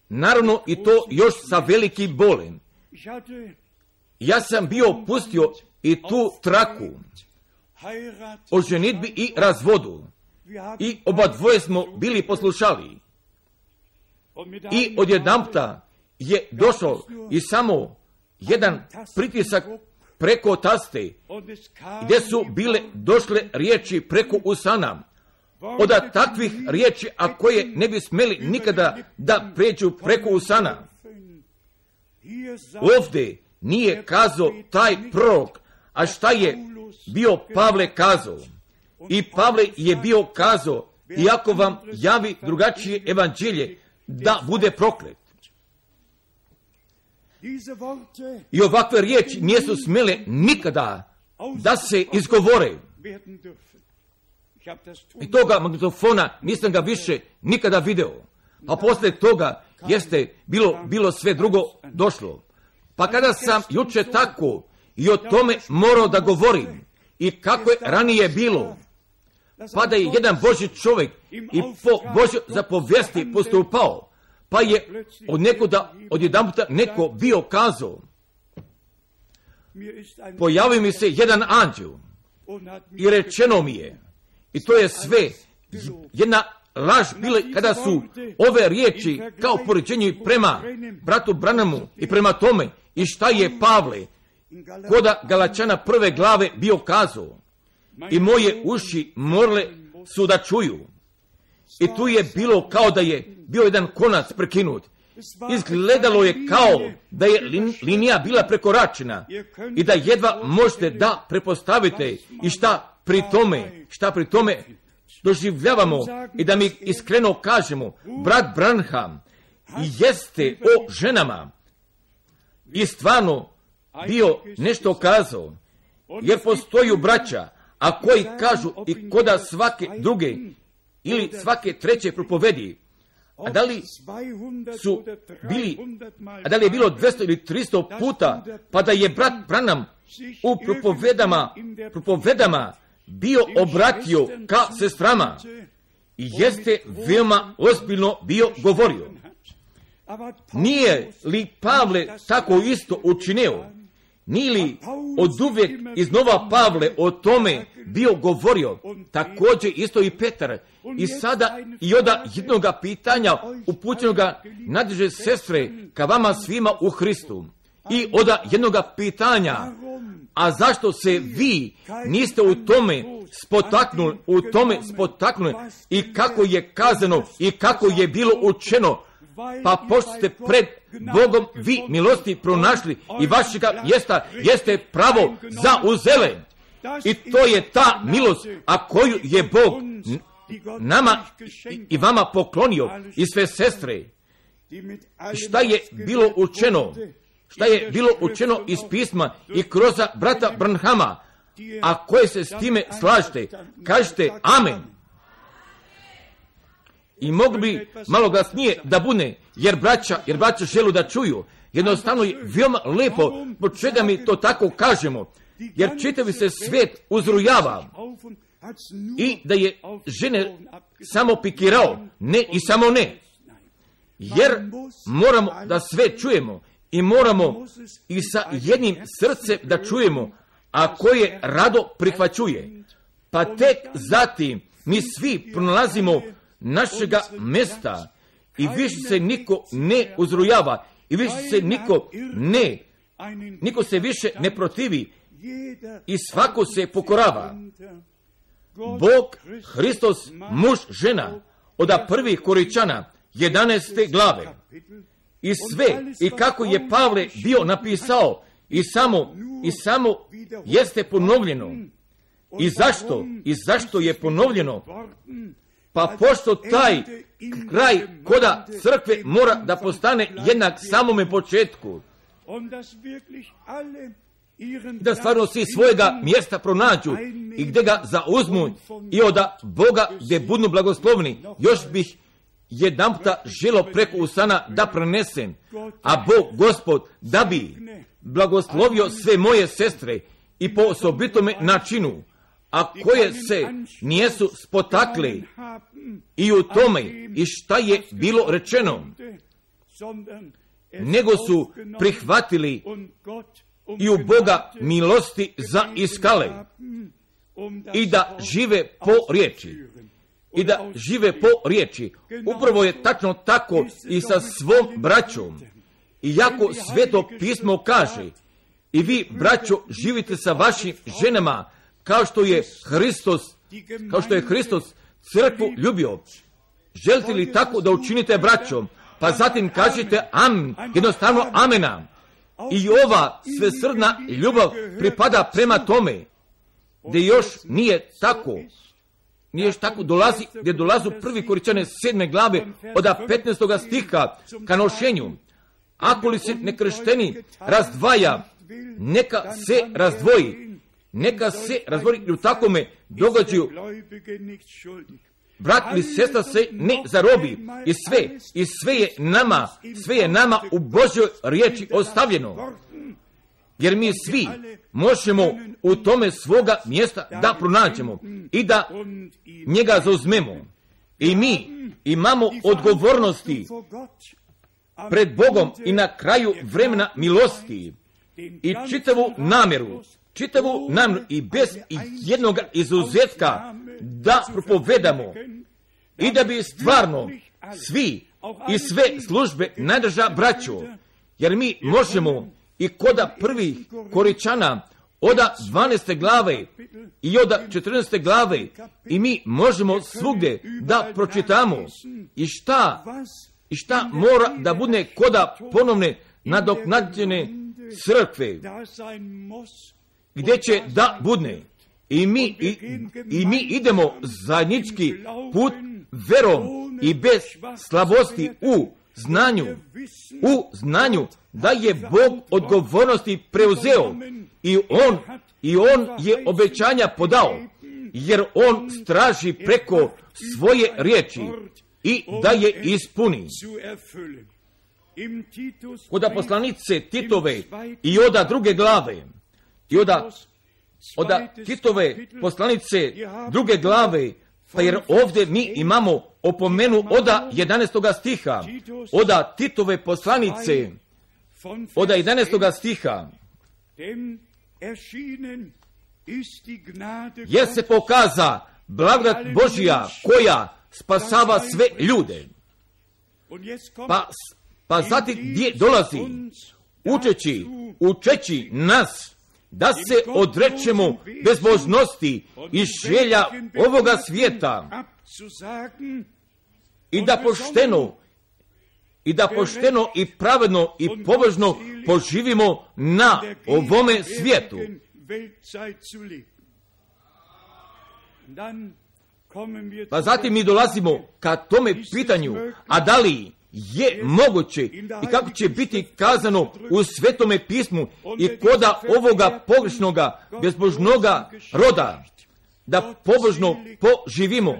Naravno i to još sa velikim bolem. Ja sam bio pustio i tu traku o ženidbi i razvodu. I oba dvoje smo bili poslušali. I odjedanputa je došao i samo jedan pritisak preko taste, gdje su bile došle riječi preko usana, od takvih riječi, a koje ne bi smeli nikada da pređu preko usana. Ovdje nije kazao taj prorok, a šta je bio Pavle kazao? I Pavle je bio kazao, iako vam javi drugačije evanđelje, da bude proklet. I ovakve riječi nisu smjele nikada da se izgovore. I toga magnetofona nisam ga više nikada video. A poslije toga jeste bilo, bilo sve drugo došlo. Pa kada sam juče tako i o tome morao da govorim i kako je ranije bilo, pa da je jedan Božji čovjek i po Božjoj zapovijesti postupao, pa je od nekoda, od jedanputa neko bio kazao, pojavio mi se jedan anđel i rečeno mi je, i to je sve jedna laž bila kada su ove riječi kao poređenje prema bratu Branamu i prema tome i šta je Pavle koda Galačana prve glave bio kazao. I moje uši morale su da čuju. I tu je bilo kao da je bio jedan konac prekinut. Izgledalo je kao da je lin, linija bila prekoračena i da jedva možete da prepostavite i šta pri tome, šta pri tome doživljavamo i da mi iskreno kažemo, brat Branham jeste o ženama i stvarno bio nešto kazao, jer postoju braća, a koji kažu i koda svake druge ili svake treće propovedi, a da li su bili, a da li je bilo dvjesto ili tristo puta, pa da je brat Branham u propovedama, propovedama bio obratio ka sestrama i jeste veoma ozbiljno bio govorio. Nije li Pavle tako isto učinio? Nije li od uvijek iznova Pavle o tome bio govorio? Također isto i Petar. I sada i od jednoga pitanja upućenoga nadleže sestre ka vama svima u Hristu. I od jednoga pitanja, a zašto se vi niste u tome spotaknuli, u tome spotaknuli i kako je kazano i kako je bilo učeno, pa pošto ste pred Bogom vi milosti pronašli i vašega jesta jeste pravo zauzele. I to je ta milost, a koju je Bog nama i vama poklonio i sve sestre. Šta je bilo učeno? Šta je bilo učeno iz pisma i kroz brata Branhama, a koje se s time slažete, kažete amen. I mogli bi malo glasnije da bude, jer braća, jer braća želu da čuju. Jednostavno je veoma lepo, po čega mi to tako kažemo, jer čitavi se svijet uzrujava i da je žene samo pikirao, ne i samo ne. Jer moramo da sve čujemo i moramo i sa jednim srcem da čujemo, a koje rado prihvaćuje. Pa tek zatim mi svi pronalazimo našega mesta i više se niko ne uzrujava i više se niko ne, niko se više ne protivi i svako se pokorava. Bog, Hristos, muž, žena, od prvih Koričana, jedanaeste glave. I sve, i kako je Pavle bio napisao, i samo, i samo jeste ponovljeno. I zašto? I zašto je ponovljeno? Pa pošto taj kraj koda crkve mora da postane jednak samome početku. Da stvarno svi svojega mjesta pronađu i gdje ga zauzmu i od Boga gdje budnu blagoslovni. Još bih jedan puta želo preko usana da prenesem, a Bog Gospod da bi blagoslovio sve moje sestre i po osobitome načinu, a koje se nijesu spotakle i u tome i šta je bilo rečeno, nego su prihvatili i u Boga milosti za iskale i da žive po riječi. I da žive po riječi. Upravo je tačno tako i sa svom braćom. I jako Sveto pismo kaže, i vi, braćo, živite sa vašim ženama kao što je Hristos, kao što je Hristos crkvu ljubio. Želite li tako da učinite, braćom? Pa zatim kažete amen, jednostavno amena. I ova svesrdna ljubav pripada prema tome, gdje još nije tako. Nije još tako dolazi, gdje dolazu prvi Koričane sedme glave od petnaestog stiha ka nošenju. Ako li se nekršteni razdvaja, neka se razdvoji. Neka se razdvoji i u takome događaju. Brat ili sestra se ne zarobi. I sve, i sve je nama, sve je nama u Božjoj riječi ostavljeno. Jer mi svi možemo u tome svoga mjesta da pronađemo i da njega zauzmemo. I mi imamo odgovornosti pred Bogom i na kraju vremena milosti i čitavu namjeru, čitavu namjeru i bez jednog izuzetka da propovedamo i da bi stvarno svi i sve službe najdrža braćo, jer mi možemo i koda prvih Koričana oda dvanaeste glave i oda četrnaeste glave i mi možemo svugdje da pročitamo i šta i šta mora da bude koda ponovne nadoknađene crkve gdje će da budne i mi, i, i mi idemo zajednički put verom i bez slabosti u znanju u znanju da je Bog odgovornosti preuzeo i on, i on je obećanja podao, jer on straži preko svoje riječi i da je ispuni. Oda poslanice Titove i oda druge glave i oda, oda Titove poslanice druge glave, pa jer ovdje mi imamo opomenu oda jedanaestog stiha, oda Titove poslanice, oda jedanaestog stiha, jer se pokaza blagodat Božja koja spasava sve ljude. Pa, pa zatim gdje dolazi, učeći, učeći nas da se odrečemo bezbožnosti i želja ovoga svijeta i da pošteno i da pošteno i pravedno i pobožno poživimo na ovome svijetu. Pa zatim mi dolazimo ka tome pitanju, a da li je moguće i kako će biti kazano u Svetome pismu i koda ovoga pogrešnoga, bezbožnoga roda, da pobožno poživimo.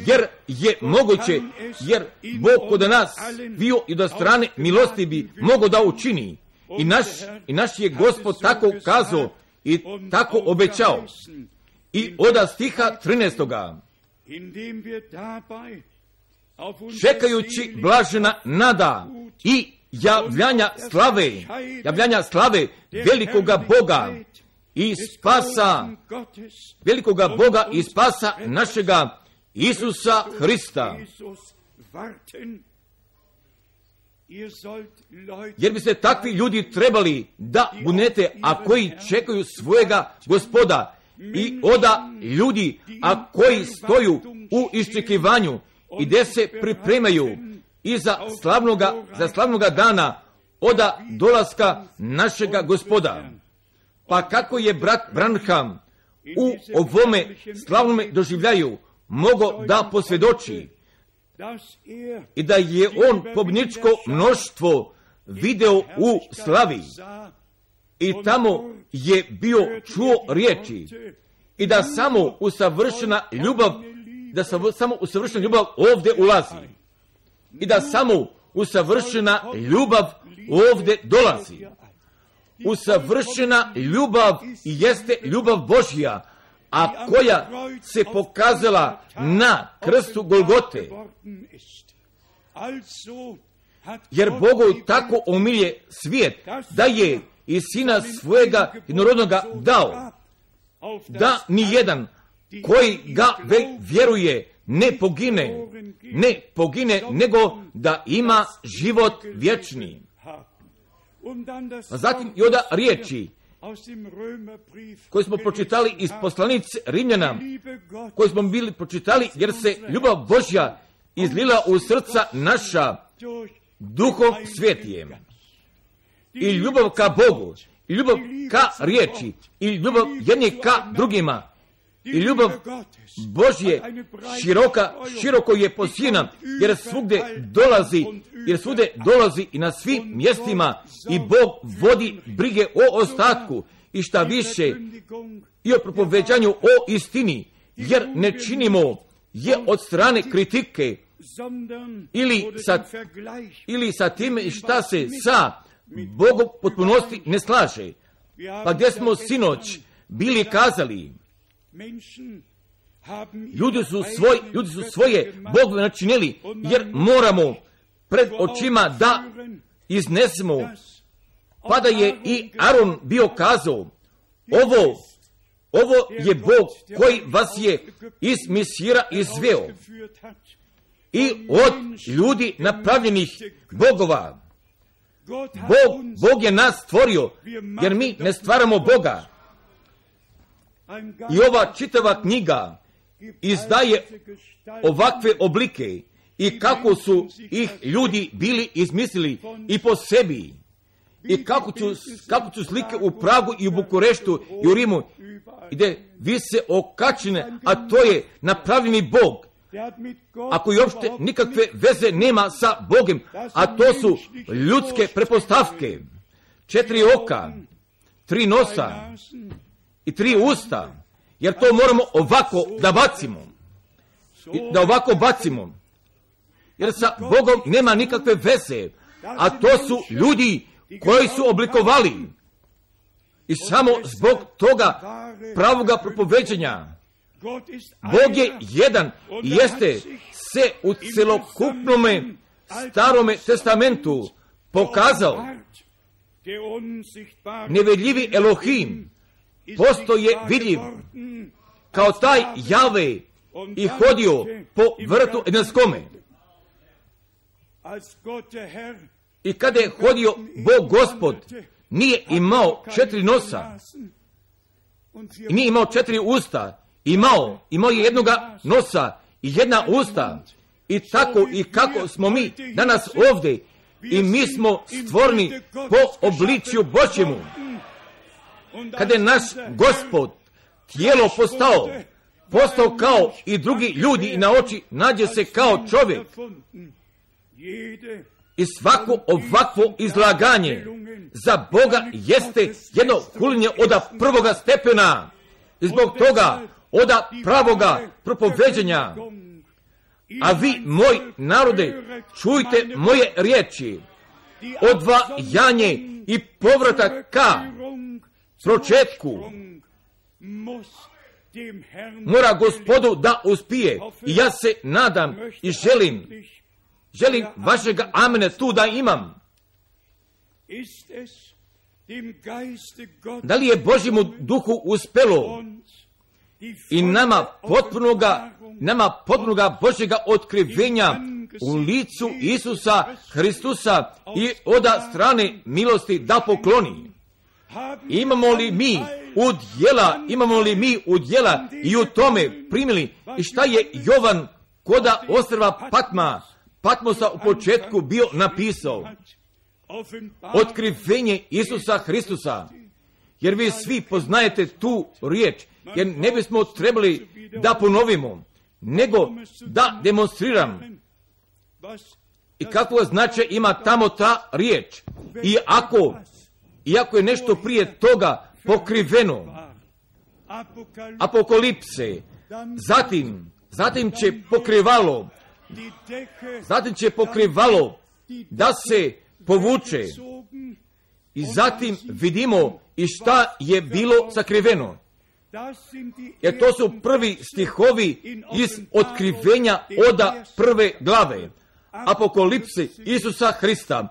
Jer je moguće, jer Bog kod nas bio i do strane milosti bi mogo da učini. I naš, i naš je Gospod tako kazao i tako obećao. I oda stiha trinaestoga. Čekajući blažena nada i javljanja slave, javljanja slave velikoga Boga i spasa velikoga Boga i spasa našega Isusa Hrista. Jer bi se takvi ljudi trebali da bunete, a koji čekaju svojega Gospoda, i oda ljudi, a koji stoju u iščekivanju i gdje se pripremaju i za slavnoga, za slavnoga dana oda dolaska našega Gospoda. Pa kako je brat Branham u ovome slavnome doživljaju mogo da posvjedoči i da je on pobjedničko mnoštvo video u slavi i tamo je bio čuo riječi i da samo usavršena ljubav, da samo usavršena ljubav ovdje ulazi i da samo usavršena ljubav ovdje dolazi. Usavršena ljubav jeste ljubav Božja, a koja se pokazala na krstu Golgote. Jer Bogu tako omilje svijet, da je i sina svojega jednorodnoga dao, da ni jedan koji ga vjeruje ne pogine, ne pogine, nego da ima život vječni. A zatim i onda riječi koje smo pročitali iz poslanice Rimljana, koje smo bili pročitali, jer se ljubav Božja izlila u srca naša Duhom Svetijem. I ljubav ka Bogu, i ljubav ka riječi, i ljubav jedni ka drugima, i ljubav Božje široka, široko je posijena, jer svugdje dolazi, jer svugdje dolazi i na svim mjestima i Bog vodi brige o ostatku i šta više i o propoveđanju o istini, jer ne činimo je od strane kritike ili sa, ili sa time šta se sa Bogom potpunosti ne slaže. Pa gdje smo sinoć bili kazali, ljudi su, svoj, ljudi su svoje Bogu načinili, jer moramo pred očima da iznesemo. Pa da je i Aron bio kazao, ovo, ovo je Bog koji vas je iz Misira izveo i od ljudi napravljenih bogova. Bog, Bog je nas stvorio, jer mi ne stvaramo Boga. I ova čitava knjiga izdaje ovakve oblike i kako su ih ljudi bili izmislili i po sebi. I kako su, kako su slike u Pragu i u Bukureštu i u Rimu, gdje vise okačene, a to je napravljeni Bog, a koji uopšte nikakve veze nema sa Bogom, a to su ljudske prepostavke. Četiri oka, tri nosa i tri usta, jer to moramo ovako da bacimo. Da ovako bacimo. Jer sa Bogom nema nikakve veze, a to su ljudi koji su oblikovali. I samo zbog toga pravoga propoveđenja. Bog je jedan i jeste se u celokupnome starome testamentu pokazao. Nevidljivi Elohim postoje vidljiv kao taj Jave i hodio po vrtu Edenskome. I kada je hodio Bog Gospod, nije imao četiri nosa i nije imao četiri usta, imao, imao je jednoga nosa i jedna usta. I tako i kako smo mi danas ovdje i mi smo stvoreni po obličju Božjemu. Kada je naš Gospod tijelo postao, postao kao i drugi ljudi i na oči nađe se kao čovjek. I svako ovakvo izlaganje za Boga jeste jedno hulinje od prvoga stepena. I zbog toga od pravoga propoveđenja. A vi, moj narode, čujte moje riječi. Odvajanje i povratak ka početku mora Gospodu da uspije. I ja se nadam i želim Želim vašega amena tu da imam. Da li je Božjemu duhu uspelo i nama potpunoga, nama potpunoga Božjega otkrivenja u licu Isusa Hristusa i od strane milosti da pokloni? Imamo li mi udjela, imamo li mi udjela i u tome primili? I šta je Jovan koda ostrva Patma, Patmosa u početku bio napisao? Otkrivenje Isusa Hristusa. Jer vi svi poznajete tu riječ, jer ne bismo trebali da ponovimo, nego da demonstriram. I kakvo značaj ima tamo ta riječ? I ako, iako je nešto prije toga pokriveno, Apokalipse, zatim, zatim će pokrivalo, zatim će pokrivalo da se povuče i zatim vidimo i šta je bilo sakriveno. Jer to su prvi stihovi iz otkrivenja oda prve glave. Apokalipse Isusa Hrista.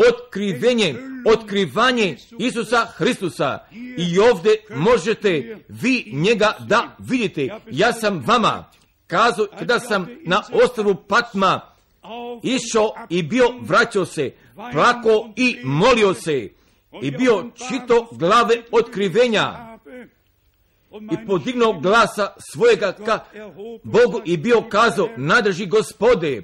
Otkrivenje, otkrivanje Isusa Hristusa. I ovdje možete vi njega da vidite. Ja sam vama kazao kada sam na ostrvu Patma išao i bio vraćao se, plako i molio se i bio čito glave otkrivenja i podignuo glasa svojega ka Bogu i bio kazao: nadrži Gospode,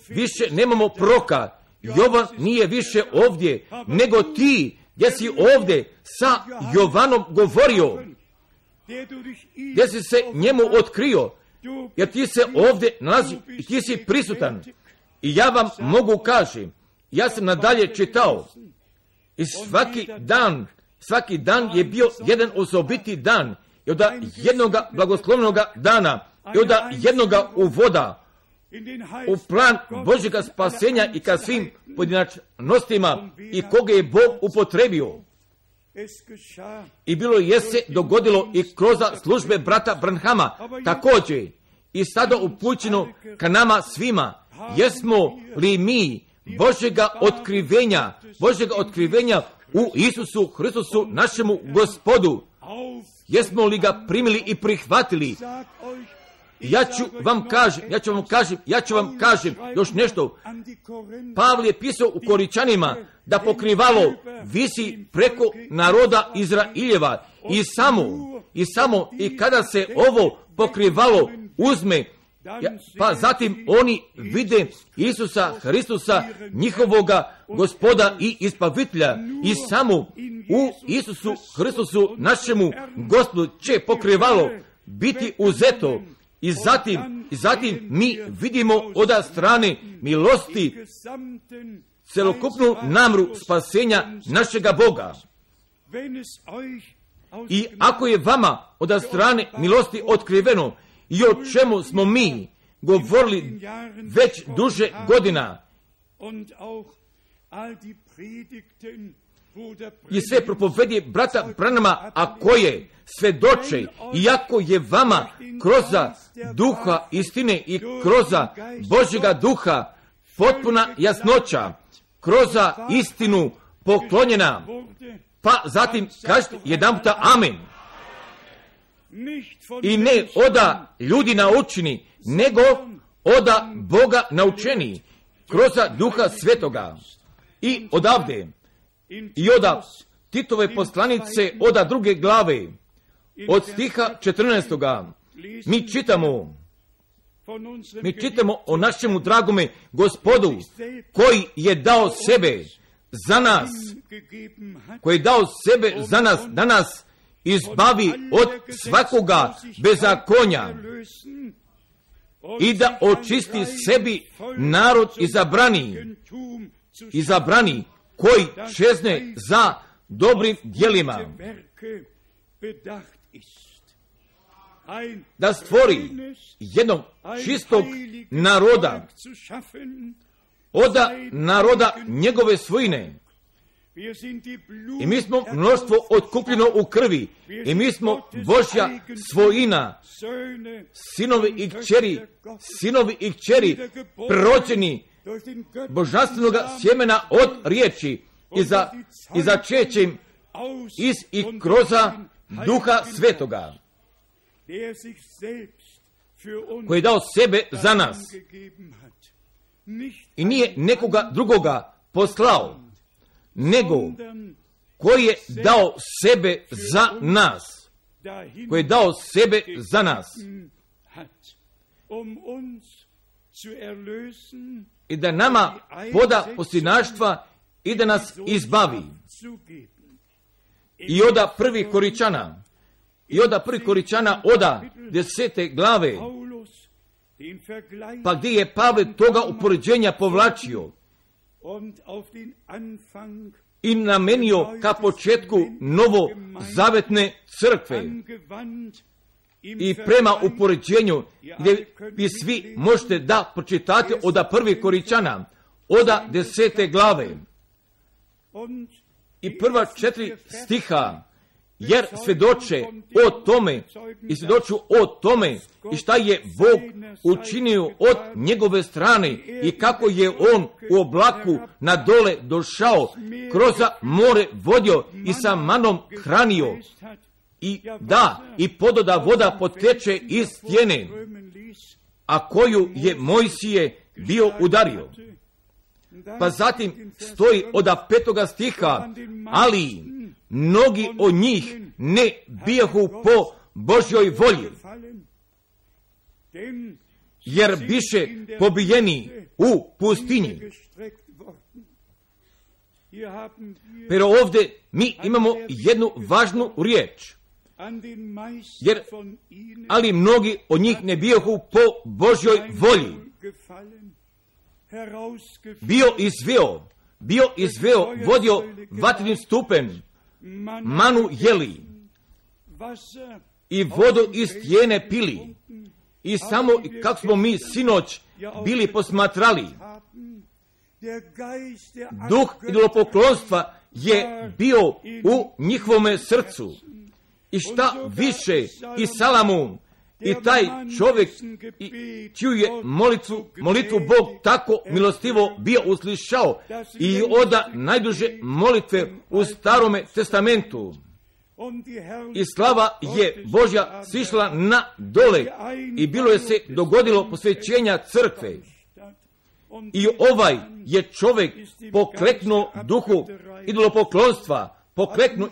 više nemamo proroka. Jovan nije više ovdje, nego ti gdje si ovdje sa Jovanom govorio, gdje si se njemu otkrio, jer ti se ovdje nalazi i ti si prisutan. I ja vam mogu kažem, ja sam nadalje čitao i svaki dan, svaki dan je bio jedan osobiti dan i od jednoga blagoslovnoga dana i od jednoga uvoda u plan Božjega spasenja i ka svim pojedinačnostima i koga je Bog upotrebio. I bilo je se dogodilo i kroz službe brata Branhama također i sada upućeno ka nama svima. Jesmo li mi Božjega otkrivenja, Božjega otkrivenja u Isusu Hristusu našemu Gospodu? Jesmo li ga primili i prihvatili? Ja ću vam kažem, ja ću vam kažem, ja ću vam kažem još nešto. Pavle je pisao u Koričanima da pokrivalo visi preko naroda Izraeljeva i samo, i samo, i kada se ovo pokrivalo uzme, pa zatim oni vide Isusa Hristusa, njihovoga Gospoda i Ispavitelja, i samo u Isusu Hristusu našemu Gospodu će pokrivalo biti uzeto. I zatim, i zatim mi vidimo od strane milosti celokupnu namru spasenja našega Boga. I ako je vama od strane milosti otkriveno i o čemu smo mi govorili već duže godina i sve propovedje brata Branhama, a koje svedoče, iako je vama kroz duha istine i kroz Božjega duha potpuna jasnoća, kroz istinu poklonjena, pa zatim kažete jedan puta amen. I ne oda ljudi naučeni, nego oda Boga naučeni, kroz duha svetoga. I odavde, i oda Titove poslanice, oda druge glave, od stiha četrnaestoga, mi čitamo, mi čitamo o našemu dragome Gospodu, koji je dao sebe za nas, koji je dao sebe za nas, da nas izbavi od svakoga bezakonja i da očisti sebi narod izabrani, izabrani koji čezne za dobrim djelima, da stvori jednog čistog naroda, od naroda njegove svojine. I mi smo mnoštvo otkupljeno u krvi, i mi smo Božja svojina, sinovi i kćeri, sinovi i kćeri, prerođeni božanstvenoga sjemena od riječi, i za, i začećem iz i kroza Duha Svetoga, koji je dao sebe za nas i nije nekoga drugoga poslao, nego koji je dao sebe za nas, koji je dao sebe za nas i da nama poda posljednaštva i da nas izbavi. I oda prvi Koričana, i oda prvi Koričana, oda desete glave, pa gdje je Pavle toga upoređenja povlačio i namenio ka početku novo zavetne crkve i prema upoređenju gdje vi svi možete da pročitate oda prvi Koričana, oda desete glave i prva četiri stiha, jer svjedoče o tome i svjedoču o tome i šta je Bog učinio od njegove strane i kako je on u oblaku na dole došao, kroz more vodio i sa manom hranio i da i pododa voda poteče iz stijene, a koju je Mojsije bio udario. Pa zatim stoji oda petoga stiha, ali mnogi od njih ne bijahu po Božjoj volji, jer biše pobijeni u pustinji. Pero ovdje mi imamo jednu važnu riječ, jer ali mnogi od njih ne bijahu po Božjoj volji. Bio izveo, bio izveo, vodio vatrenim stupen, manu jeli i vodu iz stijene pili. I samo kako smo mi sinoć bili posmatrali, duh idolopoklonstva je bio u njihovome srcu. I šta više i Salamun i taj čovjek i čiju je molitvu, molitvu Bog tako milostivo bio uslišao i oda najduže molitve u Starome testamentu. I slava je Božja sišla na dole i bilo je se dogodilo posvećenja crkve. I ovaj je čovjek pokleknuo duhu idolopoklonstva, pokleknuo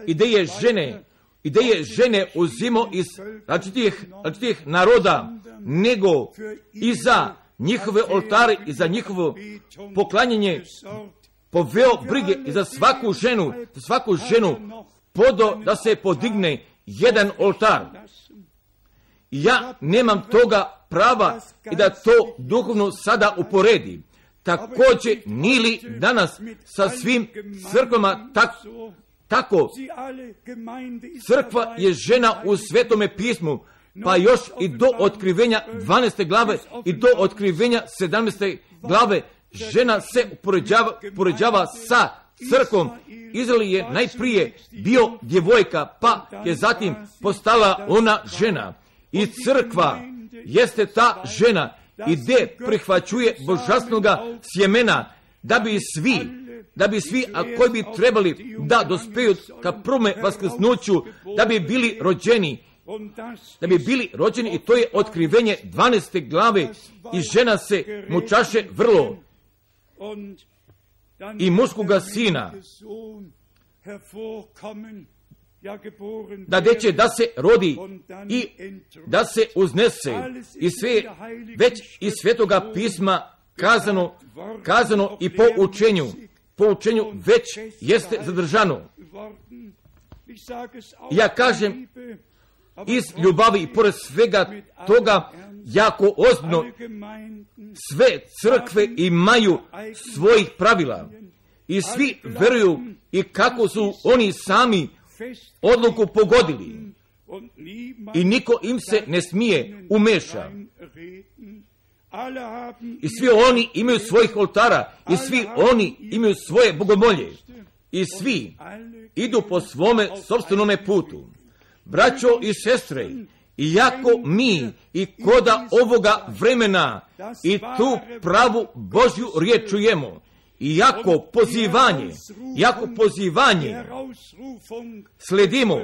ideje žene, ideje žene uzimo iz različitih, različitih naroda, nego i za njihove oltare i za njihovo poklanjanje poveo brige i za svaku ženu, za svaku ženu podo da se podigne jedan oltar. Ja nemam toga prava i da to duhovno sada uporedi. Također nili danas sa svim crkvama tak, tako. Crkva je žena u Svetome pismu, pa još i do otkrivenja dvanaeste glave i do otkrivenja sedamnaeste glave žena se upoređava, upoređava sa crkvom. Izrael je najprije bio djevojka, pa je zatim postala ona žena. I crkva jeste ta žena i gdje prihvaćuje božanstvenoga sjemena, da bi svi, da bi svi, a koji bi trebali da dospeju ka prvome vaskrsnuću, da bi bili rođeni, da bi bili rođeni, i to je otkrivenje dvanaeste glave, i žena se mučaše vrlo i muškoga sina, da deće da se rodi i da se uznese, i sve već iz Svetoga pisma kazano, kazano i po učenju, po učenju već jeste zadržano. Ja kažem iz ljubavi i pored svega toga jako ozbiljno, sve crkve imaju svojih pravila i svi veruju i kako su oni sami odluku pogodili i niko im se ne smije umeša. I svi oni imaju svojih oltara i svi oni imaju svoje bogomolje i svi idu po svome sopstvenome putu. Braćo i sestre, iako mi i koda ovoga vremena i tu pravu Božju riječ čujemo, jako pozivanje, jako pozivanje sledimo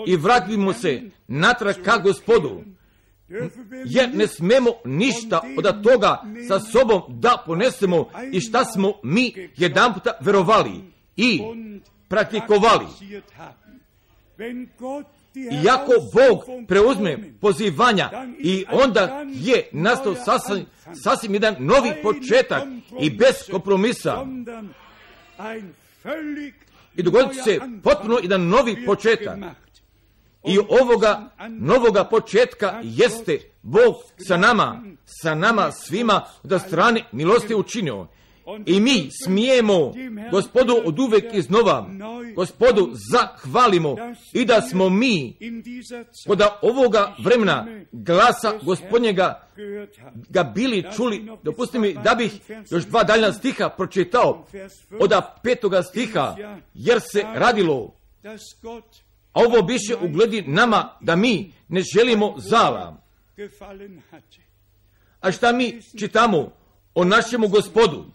i vratimo se natrag ka Gospodu, jer ne smemo ništa od toga sa sobom da ponesemo i šta smo mi jedan puta verovali i praktikovali. Iako Bog preuzme pozivanja i onda je nastao sasvim, sasvim jedan novi početak i bez kompromisa. I dogodit se potpuno jedan novi početak. I ovoga novoga početka jeste Bog sa nama, sa nama svima od strane milosti učinio. I mi smijemo Gospodu od uvek iznova, Gospodu zahvalimo i da smo mi kod ovoga vremena glasa Gospodnjega ga bili čuli. Dopustite mi da bih još dva daljna stiha pročitao od petoga stiha, jer se radilo, a ovo biše ugledi nama da mi ne želimo zala. A šta mi čitamo o našemu Gospodu?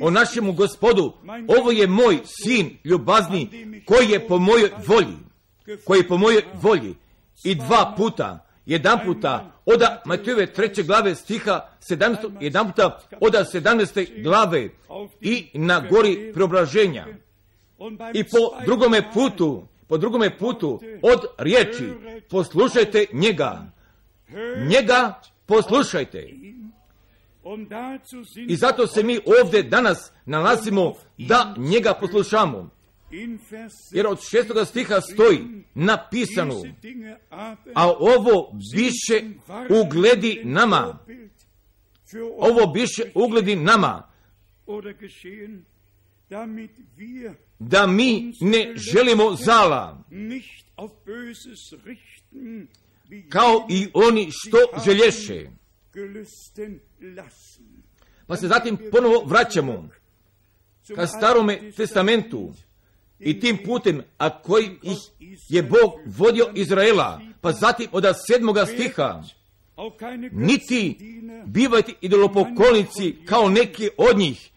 O našemu Gospodu, ovo je moj sin ljubazni, koji je po mojoj volji, koji je po mojoj volji. I dva puta, jedan puta od Matejove treće glave stiha sedamnaest, jedan puta od sedamnaeste glave i na gori preobraženja. I po drugome putu, po drugome putu od riječi, poslušajte njega, njega poslušajte. I zato se mi ovdje danas nalazimo da njega poslušamo. Jer od šestoga stiha stoji napisano, a ovo biše ugledi nama. Ovo biše ugledi nama. Da mi ne želimo zala, kao i oni što želješe. Pa se zatim ponovo vraćamo ka starome testamentu i tim putem, a koji ih je Bog vodio Izraela, pa zatim od sedmoga stiha, niti bivajte idolopoklonici kao neki od njih,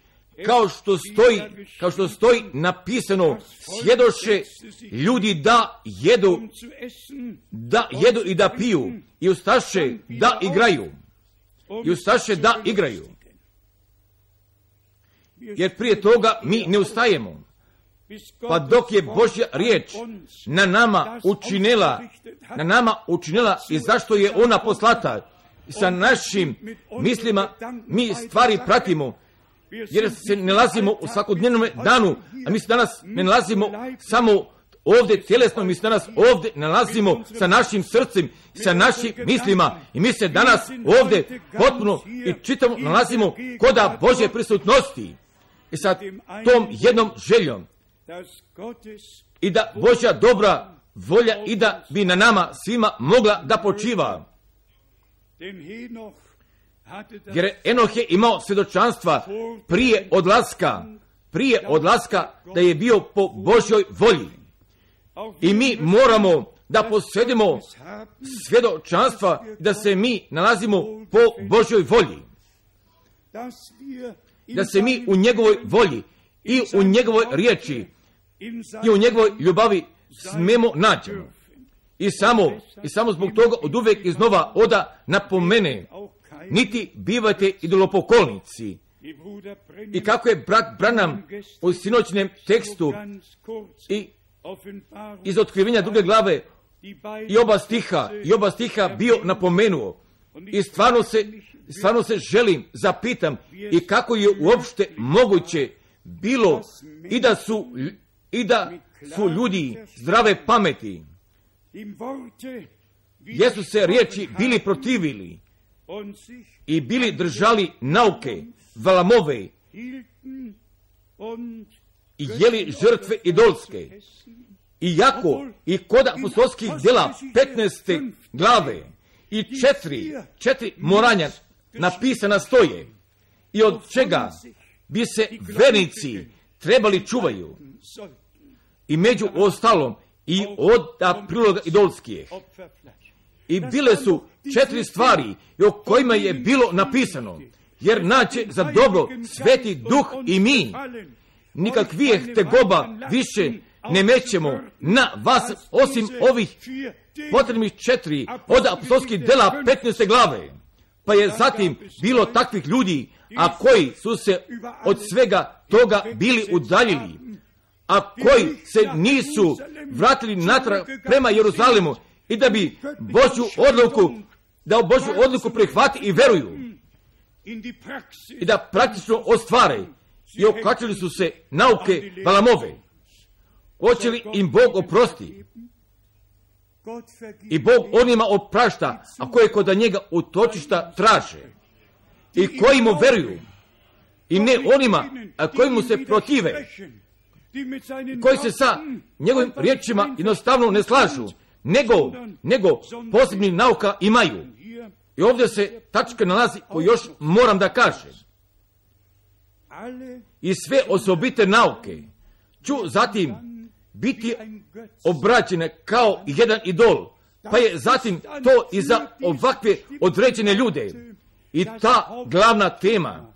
kao što stoji, kao što stoji napisano, sjedoše ljudi da jedu, da jedu i da piju, i ustaše da igraju. I ustaše da igraju. Jer prije toga mi ne ustajemo. Pa dok je Božja riječ na nama učinila, na nama učinila i zašto je ona poslata, sa našim mislima mi stvari pratimo, jer se ne nalazimo u svakodnevnom danu, a mi se danas ne nalazimo samo ovdje tjelesno, mi se danas ovdje nalazimo sa našim srcem, sa našim mislima i mi se danas ovdje potpuno i čitamo nalazimo koda Božje prisutnosti i sa tom jednom željom i da Božja dobra volja i da bi na nama svima mogla da počiva. Jer Enoh je imao svjedočanstva prije odlaska, prije odlaska da je bio po Božjoj volji. I mi moramo da posjedimo svjedočanstva da se mi nalazimo po Božjoj volji. Da se mi u njegovoj volji i u njegovoj riječi i u njegovoj ljubavi smemo nađemo. I samo, i samo zbog toga od uvijek iznova oda napomene, niti bivajte idolopoklonici. I kako je brat Branham u sinoćnem tekstu i iz otkrivenja druge glave i oba stiha, i oba stiha bio napomenuo. I stvarno se, stvarno se želim, zapitam, i kako je uopšte moguće bilo i da su, i da su ljudi zdrave pameti, jesu se riječi bili protivili i bili držali nauke, valamove i jeli žrtve idolske. Iako i kod apostolskih djela petnaeste glave i četiri, četiri moranja napisana stoje i od čega bi se vernici trebali čuvaju i među ostalom i od priloga idolskih. I bile su četiri stvari o kojima je bilo napisano. jer naće za dobro Sveti Duh i mi. Nikakvih tegoba više ne mećemo na vas, osim ovih potrebnih četiri od apostolskih dela petnaeste glave. Pa je zatim bilo takvih ljudi, a koji su se od svega toga bili udaljili, a koji se nisu vratili natrag prema Jeruzalemu i da bi Božju odluku, da u Božju odluku prihvati i veruju i da praktično ostvare i okačili su se nauke Balamove. Hoće li im Bog oprosti? I Bog onima oprašta, a koje kod njega utočišta traže i koji mu veruju, i ne onima a koji mu se protive, koji se sa njegovim riječima jednostavno ne slažu, nego, nego posebni nauka imaju. I ovdje se tačka nalazi koju još moram da kažem. I sve osobite nauke ću zatim biti obraćene kao jedan idol, pa je zatim to i za ovakve određene ljude i ta glavna tema.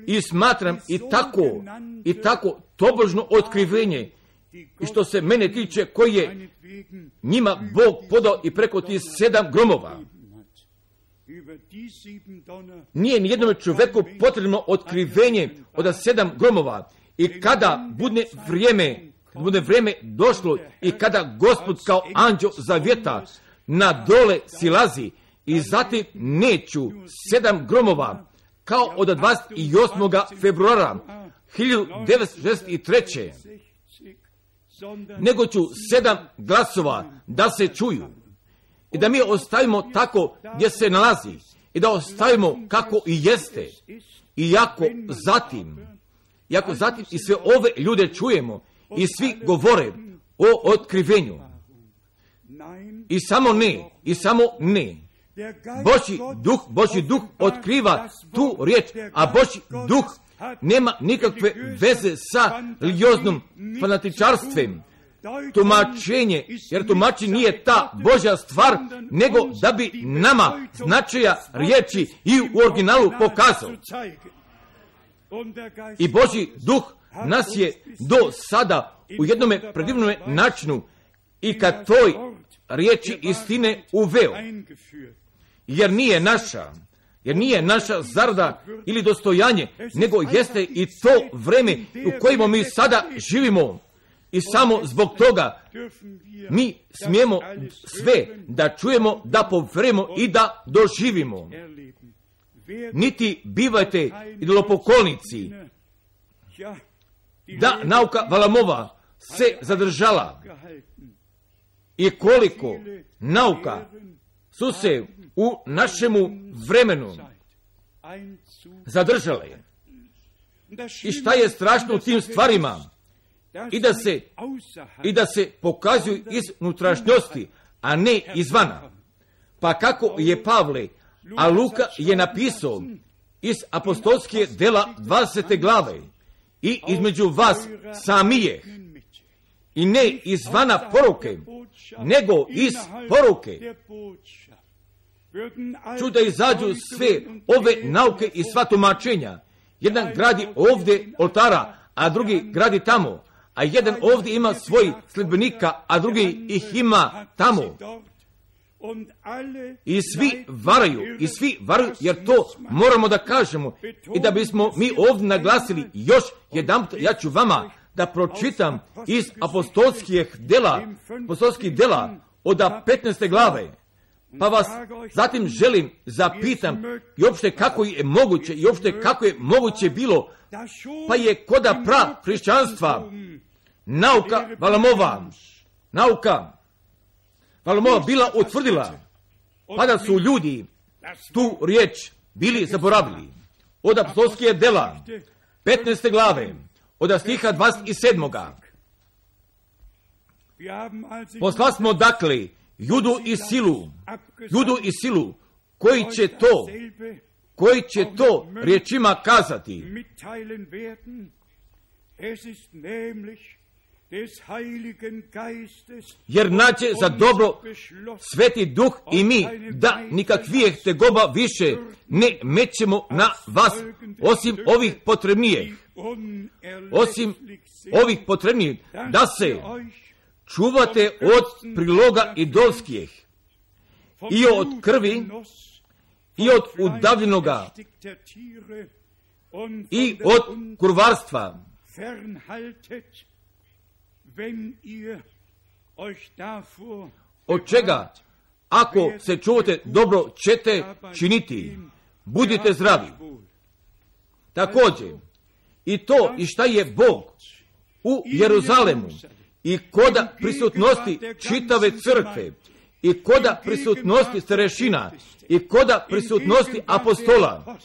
I smatram i tako, i tako tobožno otkrivenje, i što se mene tiče, koji je njima Bog podao i preko tih sedam gromova. Nije ni jednom čovjeku potrebno otkrivenje od sedam gromova, i kada bude vrijeme, bude vrijeme došlo i kada Gospod kao anđeo zavjeta na dole silazi, i zatim neću sedam gromova kao od dvadeset osmog februara hiljadu devetsto šezdeset treće nego ću sedam glasova da se čuju i da mi ostavimo tako gdje se nalazi i da ostavimo kako i jeste. I jako zatim, jako zatim i sve ove ljude čujemo i svi govore o otkrivenju. I samo ne, i samo ne. Božji duh, Božji duh otkriva tu riječ, a Božji duh nema nikakve veze sa religioznom fanatičarstvem. Tumačenje, jer tumačenje nije ta Božja stvar, nego da bi nama značaja riječi i u originalu pokazao. I Božji duh nas je do sada u jednome predivnome načinu i kad toj riječi istine uveo. Jer nije naša, jer nije naša zarada ili dostojanje, nego jeste i to vreme u kojima mi sada živimo. I samo zbog toga mi smijemo sve da čujemo, da poverujemo i da doživimo. Niti bivajte idolopoklonici, da nauka Valamova se zadržala i koliko nauka su se u našemu vremenu zadržale. I šta je strašno u tim stvarima? I da se, i da se pokazuju iz unutrašnjosti, a ne izvana. Pa kako je Pavle, a Luka je napisao iz apostolske dela dvadesete glave, i između vas samije, i ne izvana poruke, nego iz poruke, ću da izađu sve ove nauke i sva tumačenja. Jedan gradi ovdje oltara, a drugi gradi tamo, a jedan ovdje ima svoj sledbenika, a drugi ih ima tamo. I svi varaju, i svi varaju, jer to moramo da kažemo. I da bismo mi ovdje naglasili još jedan, ja ću vama da pročitam iz apostolskih dela, apostolskih dela od petnaeste glave. Pa vas zatim želim zapitam i uopšte kako je moguće, i uopšte kako je moguće bilo, pa je koda pra hrišćanstva nauka Valamova, nauka Valamova bila utvrdila, pa da su ljudi tu riječ bili zaboravili. Od apostolskih dela petnaeste glave, od stiha dvadeset sedam. Posla smo dakle Judu i silu, Judu i silu, koji će to, koji će to riječima kazati. jer naće za dobro Sveti Duh i mi da nikakvijeh tegoba više ne mećemo na vas, osim ovih potrebnijih, osim ovih potrebnijih, da se čuvate od priloga idolskih i od krvi i od udavljenoga i od kurvarstva. Od čega, ako se čuvate, dobro ćete činiti, budite zdravi. Također, i to i šta je Bog u Jeruzalemu i koda prisutnosti čitave crkve i koda prisutnosti starešina i koda prisutnosti apostola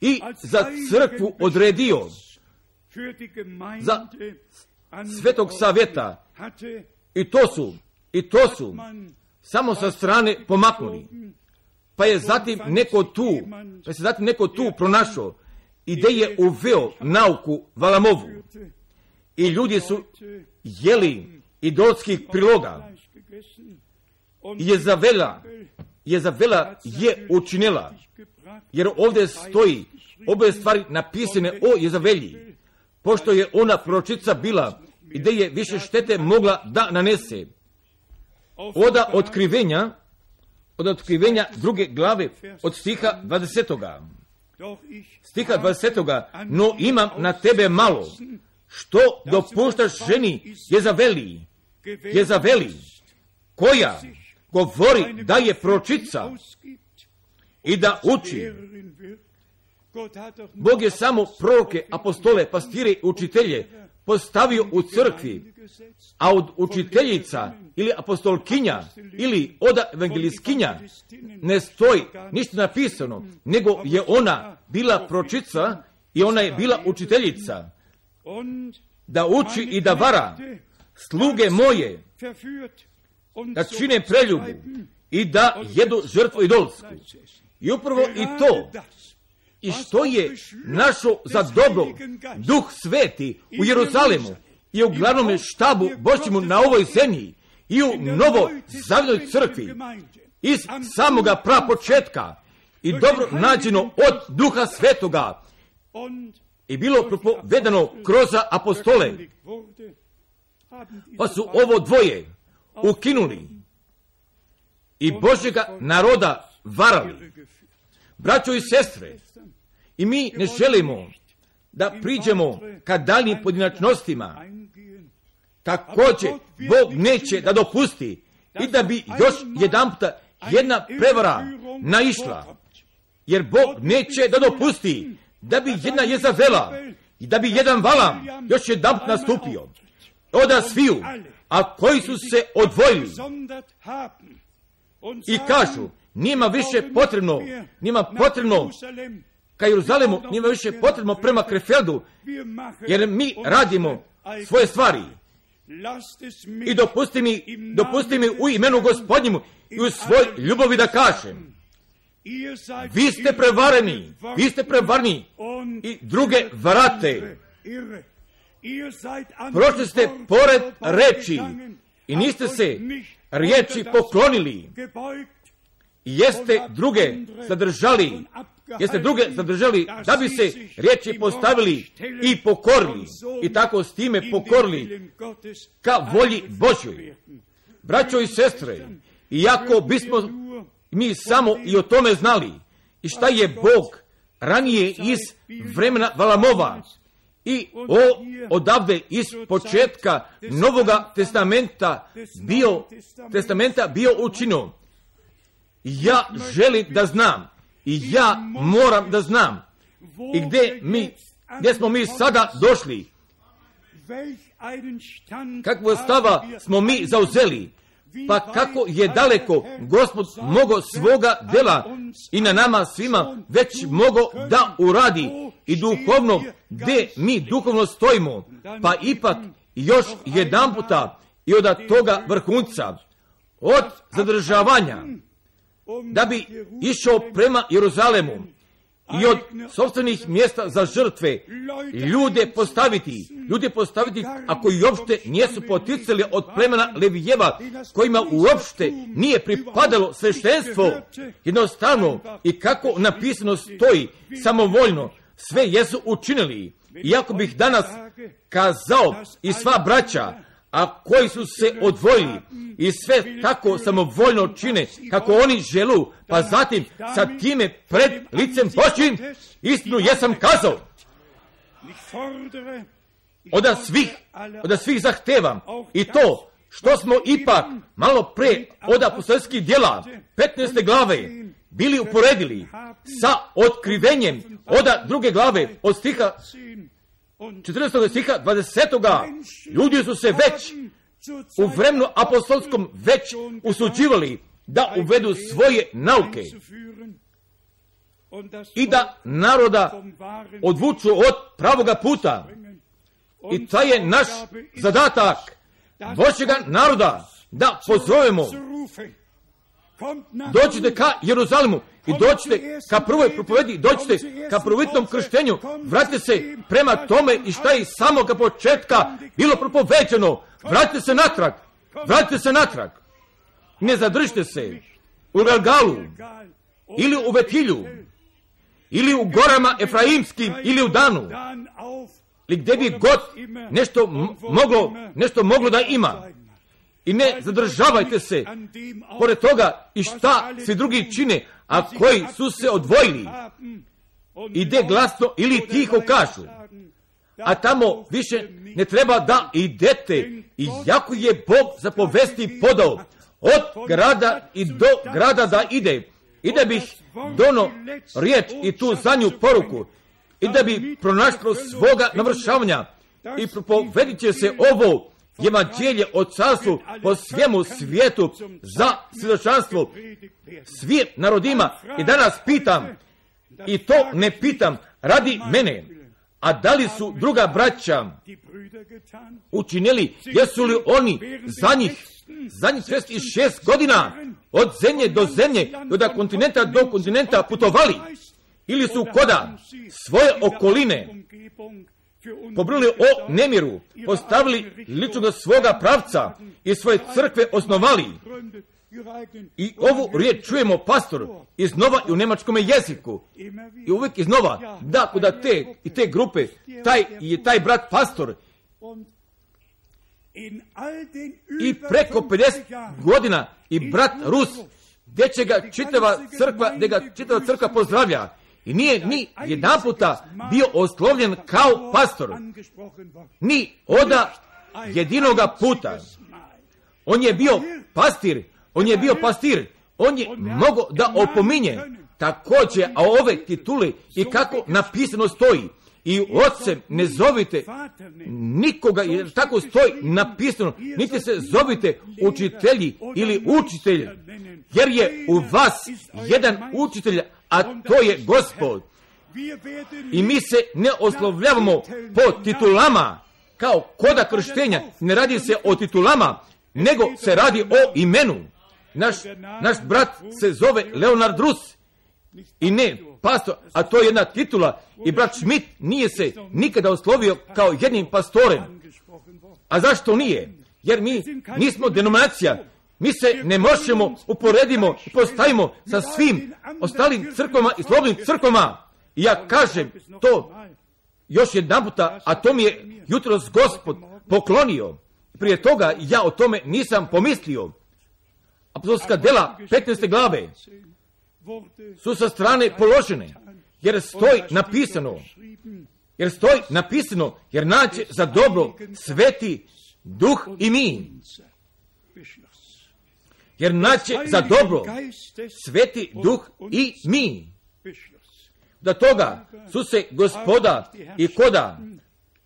i za crkvu odredio, za Svetog savjeta, i to su, i to su samo sa strane pomaknuli. Pa je zatim neko tu, pa se zatim neko tu pronašao i gdje je uveo nauku Valamovu. I ljudi su jeli idolskih priloga. I Jezavela, Jezavela je učinila, jer ovdje stoji obe stvari napisane o Jezavelji, pošto je ona proročica bila i gdje je više štete mogla da nanese. Oda otkrivenja, od otkrivenja druge glave, od stiha dvadesetoga. Stiha dvadesetoga, no imam na tebe malo, što dopuštaš ženi Jezaveli, Jezaveli, koja govori da je proročica i da uči. Bog je samo proroke, apostole, pastire i učitelje postavio u crkvi, a od učiteljica ili apostolkinja ili od evangelistkinja ne stoji ništa napisano, nego je ona bila proročica i ona je bila učiteljica, da uči i da vara sluge moje, da čine preljubu i da jedu žrtvu idolsku. I upravo i to, i što je našo za dobro Duh Sveti u Jeruzalemu i u glavnom štabu Božjemu na ovoj zemlji i u novoj zavjetnoj crkvi iz samoga prapočetka i dobro nađeno od Duha Svetoga i bilo propovedano kroz apostole, pa su ovo dvoje ukinuli i Božjega naroda varali. Braćo i sestre, i mi ne želimo da priđemo ka daljnim pojedinačnostima. Također, Bog neće da dopusti i da bi još jedan puta jedna prevara naišla. Jer Bog neće da dopusti da bi jedna Jezavela i da bi jedan Valam još jedan put nastupio. Oda sviju, a koji su se odvojili i kažu, nima više potrebno, nima potrebno ka Jeruzalemu, nima više potrebno prema Krefeldu, jer mi radimo svoje stvari. I dopusti mi, dopusti mi u imenu Gospodnjemu i u svoj ljubavi da kažem, vi ste prevareni, vi ste prevareni i druge varate. Prošli ste pored reči i niste se riječi poklonili. Jeste druge zadržali, jeste druge zadržali da bi se riječi postavili i pokorili i tako s time pokorili ka volji Božjoj. Braćo i sestre, iako bismo mi samo i o tome znali i šta je Bog ranije iz vremena Valamova i o, odavde iz početka Novoga testamenta bio, testamenta bio učinio. Ja želim da znam i ja moram da znam i gdje mi, gdje smo mi sada došli, kakvo stava smo mi zauzeli, pa kako je daleko Gospod mogao svoga dela i na nama svima već mogao da uradi i duhovno gdje mi duhovno stojimo, pa ipak još jedan puta i od toga vrhunca, od zadržavanja, da bi išao prema Jeruzalemu i od sopstvenih mjesta za žrtve ljude postaviti, ljude postaviti, ako i uopšte nijesu poticali od plemena Levijeva, kojima uopšte nije pripadalo sveštenstvo, jednostavno i kako napisano stoji, samovoljno, sve jesu učinili. Iako bih danas kazao i sva braća, a koji su se odvojili i sve tako samovoljno čine kako oni želu, pa zatim sa time pred licem Božjim istinu jesam kazao. Od svih, od svih zahtevam i to što smo ipak malo pre od apostolskih djela petnaeste glave bili uporedili sa otkrivenjem od druge glave od stiha četrnaestog stiha dvadesetog Ljudi su se već u vremenu apostolskom već usuđivali da uvedu svoje nauke i da naroda odvuču od pravoga puta. I taj je naš zadatak Božjega naroda, da pozovemo. Dođite ka Jeruzalemu i dođite ka prvoj propovedi, dođite ka prvobitnom krštenju, vratite se prema tome i šta je iz samoga početka bilo propoveđeno. Vratite se natrag, vratite se natrag. Ne zadržite se u Galgalu ili u Vetilju ili u gorama Efraimskim ili u Danu ili gdje bi god nešto moglo, nešto moglo da ima. I ne zadržavajte se pored toga i šta svi drugi čine, a koji su se odvojili. Ide glasno ili tiho kažu. A tamo više ne treba da idete. I jako je Bog zapovesti podao od grada i do grada da ide. I da bih dono riječ i tu zadnju poruku. I da bi pronašlo svoga navršavanja. I propovedit će se ovo evanđelje o carstvu po svemu svijetu za svjedočanstvo svim narodima. I danas pitam, i to ne pitam radi mene, a da li su druga braća učinili, jesu li oni za njih, za njih šezdeset šest godina od zemlje do zemlje, od kontinenta do kontinenta putovali, ili su koda svoje okoline pobrili o nemiru, postavili ličnog svoga pravca i svoje crkve osnovali. I ovu riječ čujemo, pastor, iznova i u nemačkom jeziku. I uvijek iznova, da, kuda te i te grupe, taj je taj brat pastor. I preko pedeset godina i brat Rus, gdje će ga čitava crkva, gdje ga čitava crkva pozdravlja. I nije ni jedan puta bio oslovljen kao pastor. Ni oda jedinoga puta. On je bio pastir. On je bio pastir. On je mogao da opominje. Također, a ove titule i kako napisano stoji. I ocem ne zovite nikoga, jer tako stoji napisano. Niti se zovite učitelji ili učitelj. Jer je u vas jedan učitelj, a to je Gospod. I mi se ne oslovljavamo po titulama, kao koda krštenja. Ne radi se o titulama, nego se radi o imenu. Naš, naš brat se zove Leonard Rus. I ne pastor, a to je jedna titula. I brat Schmidt nije se nikada oslovio kao jednim pastorem. A zašto nije? Jer mi nismo denominacija. Mi se ne možemo uporedimo i postavimo sa svim ostalim crkvama i slobodnim crkvama. I ja kažem to još jedan puta, a to mi je jutros Gospod poklonio. Prije toga ja o tome nisam pomislio. Apostolska djela petnaeste glave su sa strane položene, jer stoji napisano, jer stoji napisano, jer naće za dobro Sveti Duh i mi. Jer naće za dobro Sveti Duh i mi. Da toga su se Gospoda i koda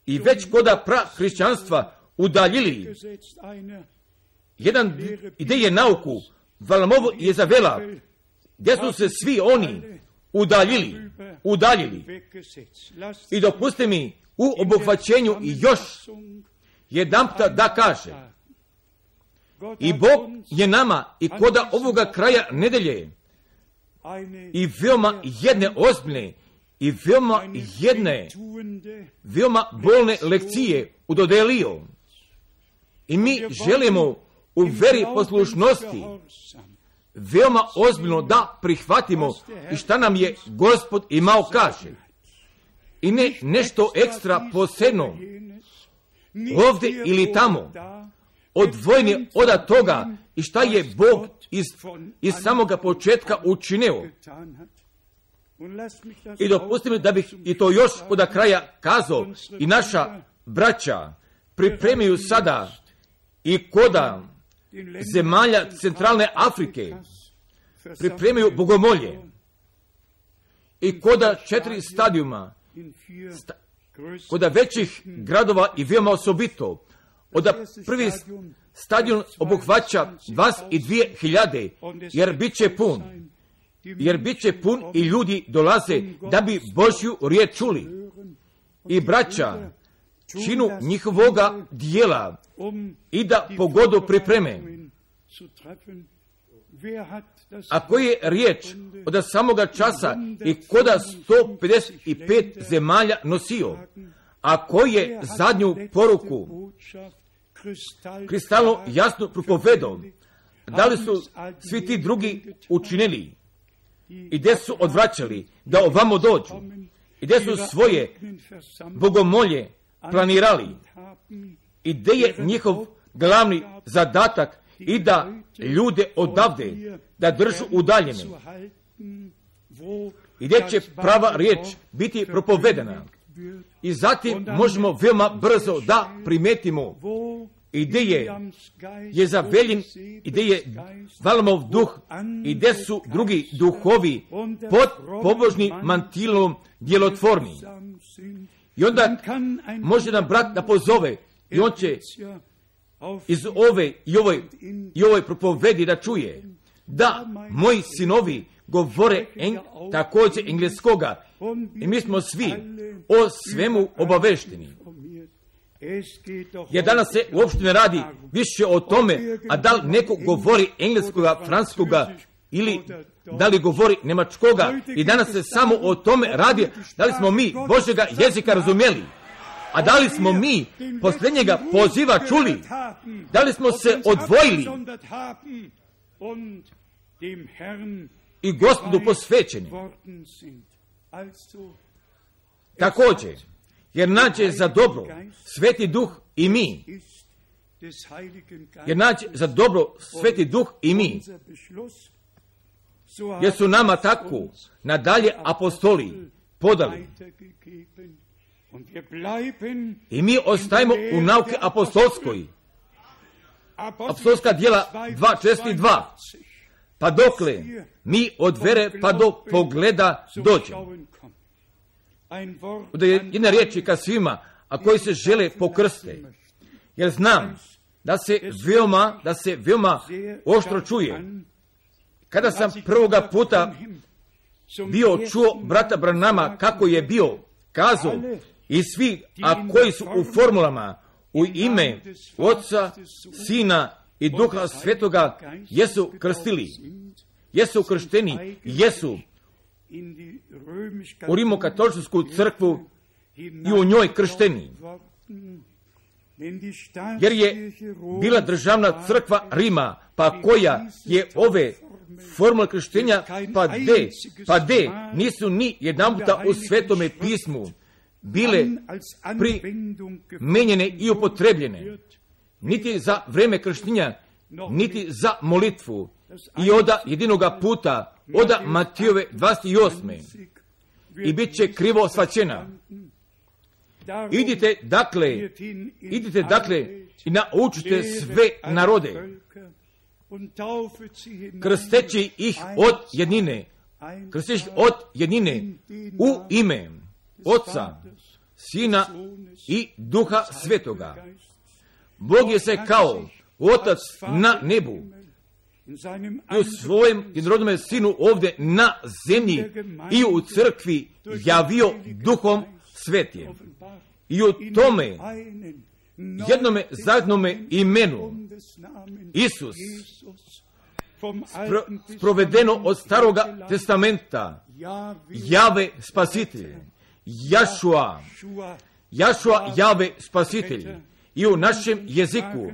i već koda pra hrišćanstva udaljili. Jedan ideje nauku Valamovo je zavela, gdje su se svi oni udaljili, udaljili. I dopustite mi u obuhvaćenju još jedanputa da kaže, i Bog je nama i koda ovoga kraja nedelje i veoma jedne ozbiljne i veoma jedne, veoma bolne lekcije udodelio. I mi želimo u veri poslušnosti veoma ozbiljno da prihvatimo i šta nam je Gospod imao kaže. I ne nešto ekstra posebno, ovdje ili tamo, odvojeni od toga i šta je Bog iz, iz samoga početka učinio. I dopustite mi da bih i to još od kraja kazao, i naša braća pripremaju sada i koda zemalja centralne Afrike, pripremaju bogomolje i koda četiri stadijuma, sta, koda većih gradova i veoma osobito, od prvi stadion obuhvaća dvadeset dvije hiljade, jer bit će pun. Jer bit će pun i ljudi dolaze da bi Božju riječ čuli. I braća činu njihovoga dijela i da pogodu pripreme. A koji je riječ od samoga časa i koda sto pedeset pet zemalja nosio, a koji je zadnju poruku kristalno jasno propovedao, da li su svi ti drugi učinili i gdje su odvraćali da ovamo dođu i gdje su svoje bogomolje planirali i gdje je njihov glavni zadatak i da ljude odavde da držu udaljene i gdje će prava riječ biti propovedena. I zatim možemo veoma brzo da primetimo i gdje je Jezavelin i gdje je Valamov duh i gdje su drugi duhovi pod pobožnim mantilom djelotvorni. I onda može nam brat da pozove i on će iz ove i ovoj, i ovoj propovedi da čuje da moji sinovi govore en, također engleskoga i mi smo svi o svemu obavešteni. Jer danas se uopšte ne radi više o tome, a da li neko govori engleskoga, francuskoga ili da li govori njemačkoga. I danas se samo o tome radi da li smo mi Božjega jezika razumjeli. A da li smo mi posljednjega poziva čuli? Da li smo se odvojili i Gospodu posvećeni? Također, jer nađe za dobro Sveti Duh i mi. Jer nađe za dobro Sveti Duh i mi. Jer su nama tako nadalje apostoli podali. I mi ostajemo u nauke apostolskoj. Apostolska djela dva četrdeset dva. Pa dokle mi od vere pa do pogleda dođemo. Da je jedna riječ ka svima, a koji se žele pokrste. Jer znam da se veoma, da se veoma oštro čuje. Kada sam prvoga puta bio čuo brata Branama kako je bio kazao i svi, a koji su u formulama u ime Oca, Sina i Duha Svetoga jesu krstili, jesu kršteni, jesu u Rimokatoličku crkvu i u njoj kršteni. Jer je bila državna crkva Rima, pa koja je ove formule krštenja, pa de, pa de, nisu ni jedan puta u Svetome pismu bile primenjene i upotrebljene, niti za vreme krštenja, niti za molitvu. I oda jedinoga puta, oda Matijove dvadeset osme i bit će krivo shvaćena. Idite dakle, idite dakle i naučite sve narode, krsteći ih od jednine, krsteći od jednine u ime Oca, Sina i Duha Svetoga. Bog je se kao Otac na nebu i u svojem jednorodnome Sinu ovdje na zemlji i u crkvi javio Duhom Svetim. I u tome jednome zajednome imenu Isus spro, sprovedeno od Staroga testamenta Jave spasitelj, Jašua, Jašua Jave spasitelj. I u našem jeziku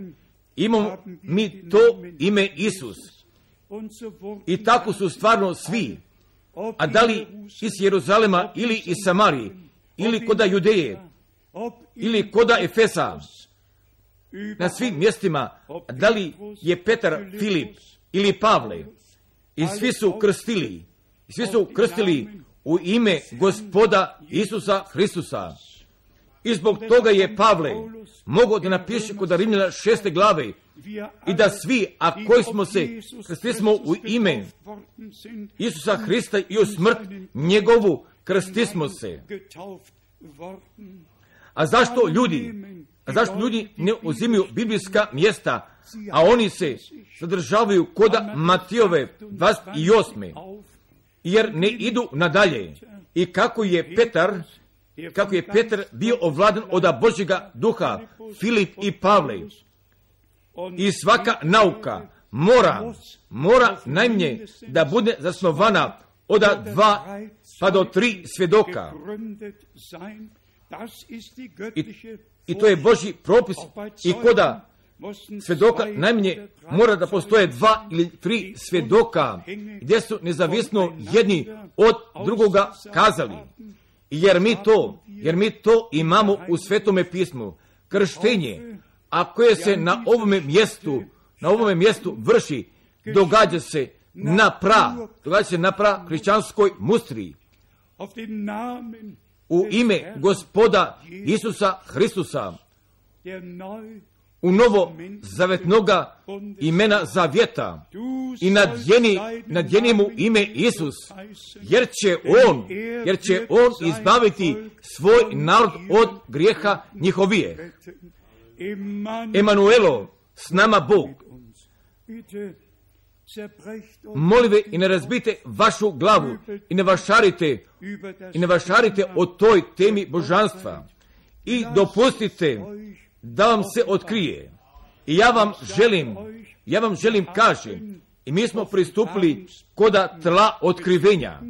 imamo mi to ime Isus. I tako su stvarno svi, a da li iz Jeruzalema ili iz Samarije, ili koda Judeje, ili koda Efesa, na svim mjestima, da li je Petar, Filip ili Pavle, i svi su krstili, svi su krstili u ime Gospoda Isusa Hristusa. I zbog toga je Pavle mogao da napiše kod Rimljana šeste glave i da svi, a koji smo se krstili smo u ime Isusa Hrista i u smrt njegovu krstili smo se. A zašto ljudi, a zašto ljudi ne uzimaju biblijska mjesta, a oni se zadržavaju koda Matijove dvadeset osme jer ne idu nadalje. I kako je Petar, kako je Petar bio ovladan od Božjega duha, Filip i Pavle. I svaka nauka mora, mora najmanje da bude zasnovana od dva pa do tri svjedoka. I, I to je Božji propis. I koda svjedoka najmanje mora da postoje dva ili tri svjedoka gdje su nezavisno jedni od drugoga kazali. Jer mi to, jer mi to imamo u Svetome pismu. Krštenje, a koje se na ovome mjestu, na ovome mjestu vrši, događa se na pra, događa se na pra hrišćanskoj mustri. U ime Gospoda Isusa Hristusa, u novo zavetnoga imena zavjeta i nadjeni, nadjeni mu ime Isus, jer će on, jer će on izbaviti svoj narod od grijeha njihovije. Emanuelo, s nama Bog. Molive i ne razbite vašu glavu i ne vašarite, i ne vašarite o toj temi božanstva i dopustite da vam se otkrije. I ja vam želim, ja vam želim kažem, i mi smo pristupili koda tla otkrivenja,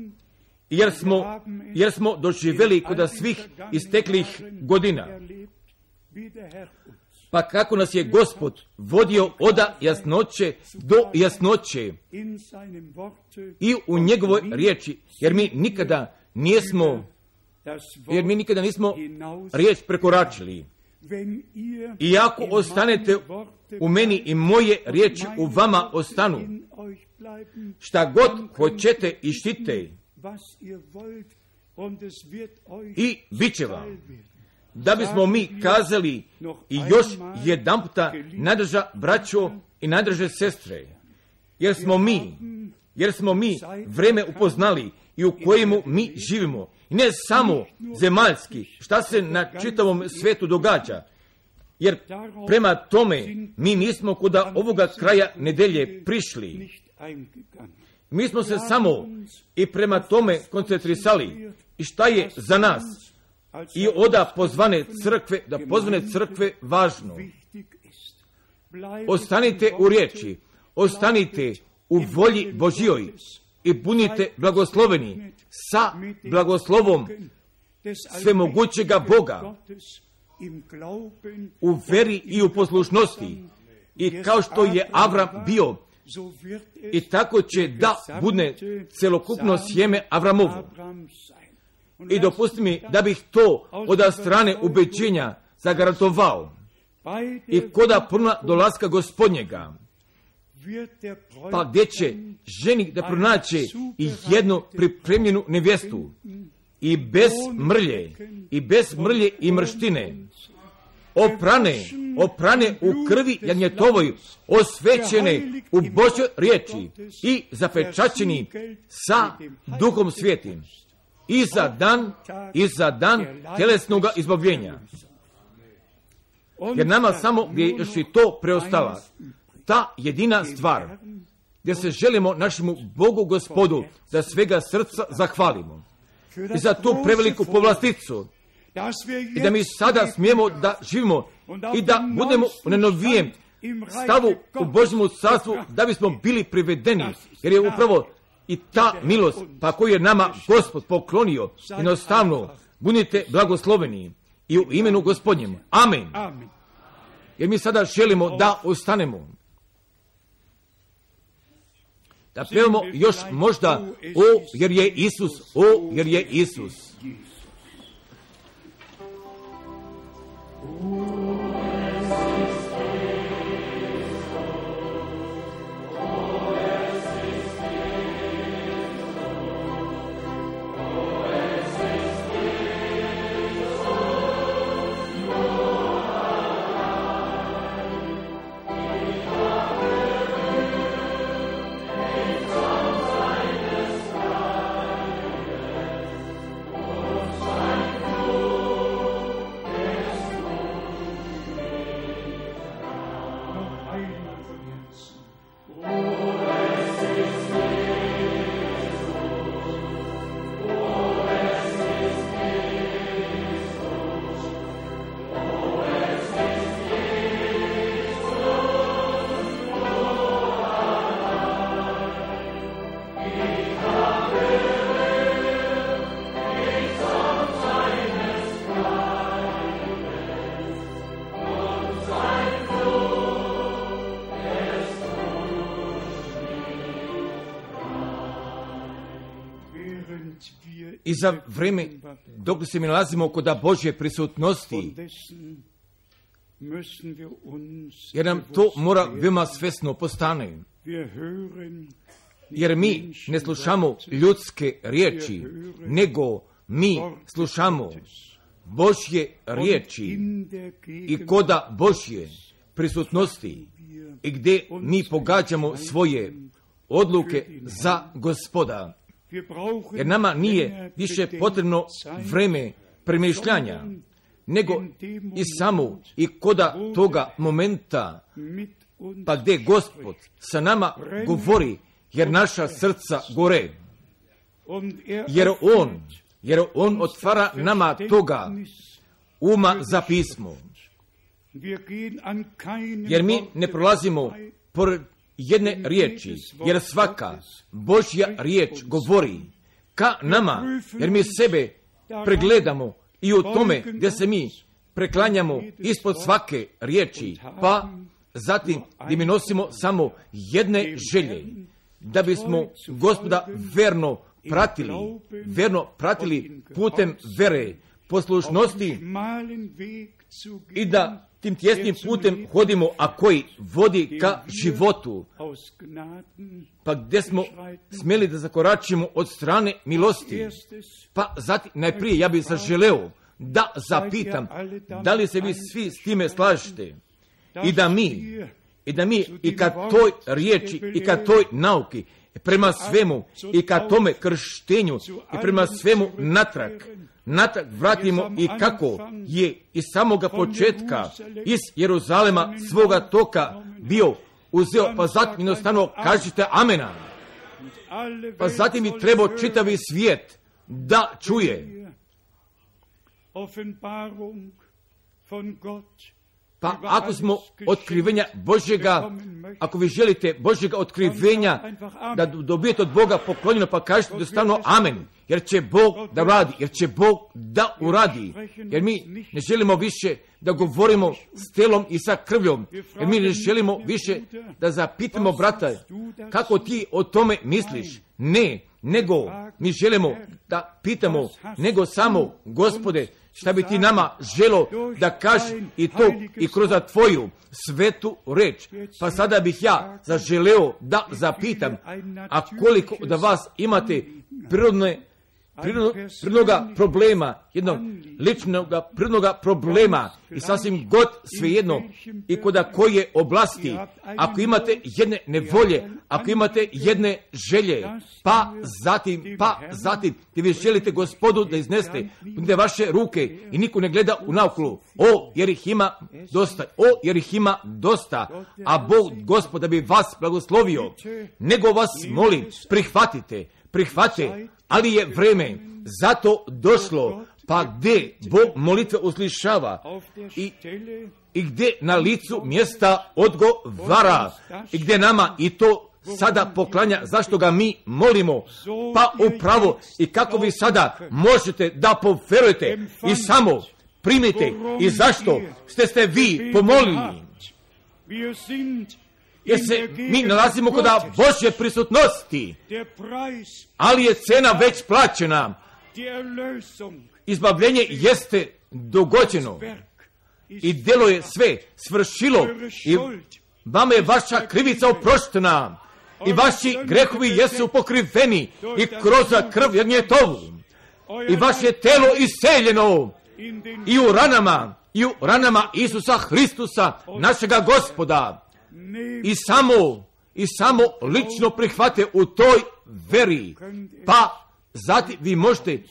jer smo, jer smo doživjeli koda svih isteklih godina. Pa kako nas je Gospod vodio od jasnoće do jasnoće i u njegovoj riječi, jer mi nikada nismo, jer mi nikada nismo riječ prekoračili. I ako ostanete u meni i moje riječi u vama ostanu, šta god hoćete i štite, i bit će vam. Da bismo mi kazali i još jedan puta, najdrža braćo i najdrže sestre, jer smo mi, jer smo mi vreme upoznali i u kojemu mi živimo. I ne samo zemaljski, šta se na čitavom svijetu događa. Jer prema tome mi nismo kuda ovoga kraja nedelje prišli. Mi smo se samo i prema tome koncentrisali. I šta je za nas i oda pozvane crkve, da pozvane crkve važno. Ostanite u riječi, ostanite u volji Božjoj i budite blagosloveni sa blagoslovom svemogućega Boga u veri i u poslušnosti. I kao što je Avram bio, i tako će da bude celokupno sjeme Avramovo. I dopusti mi da bih to od strane ubeđenja zagarantovao. I koda prva dolaska Gospodnjega, pa gdje će ženik da pronaće i jednu pripremljenu nevjestu, i bez mrlje, i bez mrlje i mrštine, oprane, oprane u krvi jagnjetovoj, osvećene u Božjoj riječi i zapečaćeni sa Duhom Svijetim. I za dan, i za dan tjelesnog izbavljenja. Jer nama samo gdje je još i to preostala, ta jedina stvar, gdje se želimo našemu Bogu Gospodu da svega srca zahvalimo. I za tu preveliku povlasticu. I da mi sada smijemo da živimo i da budemo u nenovijem stavu u Božjemu carstvu, da bismo bili privedeni. Jer je upravo i ta milost, pa koju je nama Gospod poklonio, jednostavno, budite blagosloveni i u imenu Gospodnjem. Amen. Jer mi sada želimo da ostanemo. Da pevamo još možda, o, jer je Isus, o, jer je Isus. I za vrijeme dok se mi nalazimo kod Božje prisutnosti, jer nam to mora veoma svesno postane. Jer mi ne slušamo ljudske riječi, nego mi slušamo Božje riječi i koda Božje prisutnosti i gdje mi pogađamo svoje odluke za Gospoda. Jer nama nije više potrebno vreme premišljanja, nego i samo i koda toga momenta, pa gdje Gospod sa nama govori, jer naša srca gore. Jer On, jer On otvara nama toga uma za pismo. Jer mi ne prolazimo pored jedne riječi, jer svaka Božja riječ govori ka nama, jer mi sebe pregledamo i u tome gdje se mi preklanjamo ispod svake riječi, pa zatim gdje mi nosimo samo jedne želje, da bismo Gospoda verno pratili, verno pratili putem vere, poslušnosti i da tim tjesnim putem hodimo, a koji vodi ka životu, pa gdje smo smjeli da zakoračimo od strane milosti. Pa zatim, najprije ja bih zaželeo da zapitam, da li se vi svi s time slažete i da mi, i da mi i ka toj riječi i ka toj nauki, prema svemu i ka tome krštenju i prema svemu natrag, natrag vratimo i kako je iz samoga početka iz Jeruzalema svoga toka bio uzeo, pa zatim jednostavno kažite amena. Pa zatim bi trebao čitavi svijet da čuje. Pa ako smo otkrivenja Božjega, ako vi želite Božjega otkrivenja da dobijete od Boga poklonjeno, pa kažete jednostavno amen, jer će Bog da uradi, jer će Bog da uradi, jer mi ne želimo više da govorimo s telom i sa krvljom, jer mi ne želimo više da zapitamo brata, kako ti o tome misliš? Ne, nego mi želimo da pitamo, nego samo Gospode, šta bi ti nama želo da kaži i to i kroz tvoju svetu reč. Pa sada bih ja zaželeo da zapitam, a koliko da vas imate prirodne prirodnoga problema, jednog ličnog prirodnoga problema i sasvim god svejedno i koda koje oblasti, ako imate jedne nevolje, ako imate jedne želje, pa zatim, pa zatim, gdje vi želite Gospodu da izneste gdje vaše ruke i niko ne gleda u naokolo, o, jer ih ima dosta, o, jer ih ima dosta, a Bog, Gospod, da bi vas blagoslovio, nego vas molim, prihvatite, prihvate, ali je vreme zato došlo, pa gdje Bog molitve uslišava i, i gdje na licu mjesta odgovara i gdje nama i to sada poklanja, zašto ga mi molimo. Pa upravo i kako vi sada možete da poverujete i samo primite i zašto ste ste vi pomolili. Jer se mi nalazimo kod Božje prisutnosti, ali je cena već plaćena. Izbavljenje jeste dogođeno i djelo je sve svršilo i vama je vaša krivica oproštena i vaši grehovi jesu pokriveni i kroz krv Jagnjetovu i vaše telo iseljeno i u ranama i u ranama Isusa Hristusa našega Gospoda i samo i samo lično prihvate u toj veri, pa zatim vi možete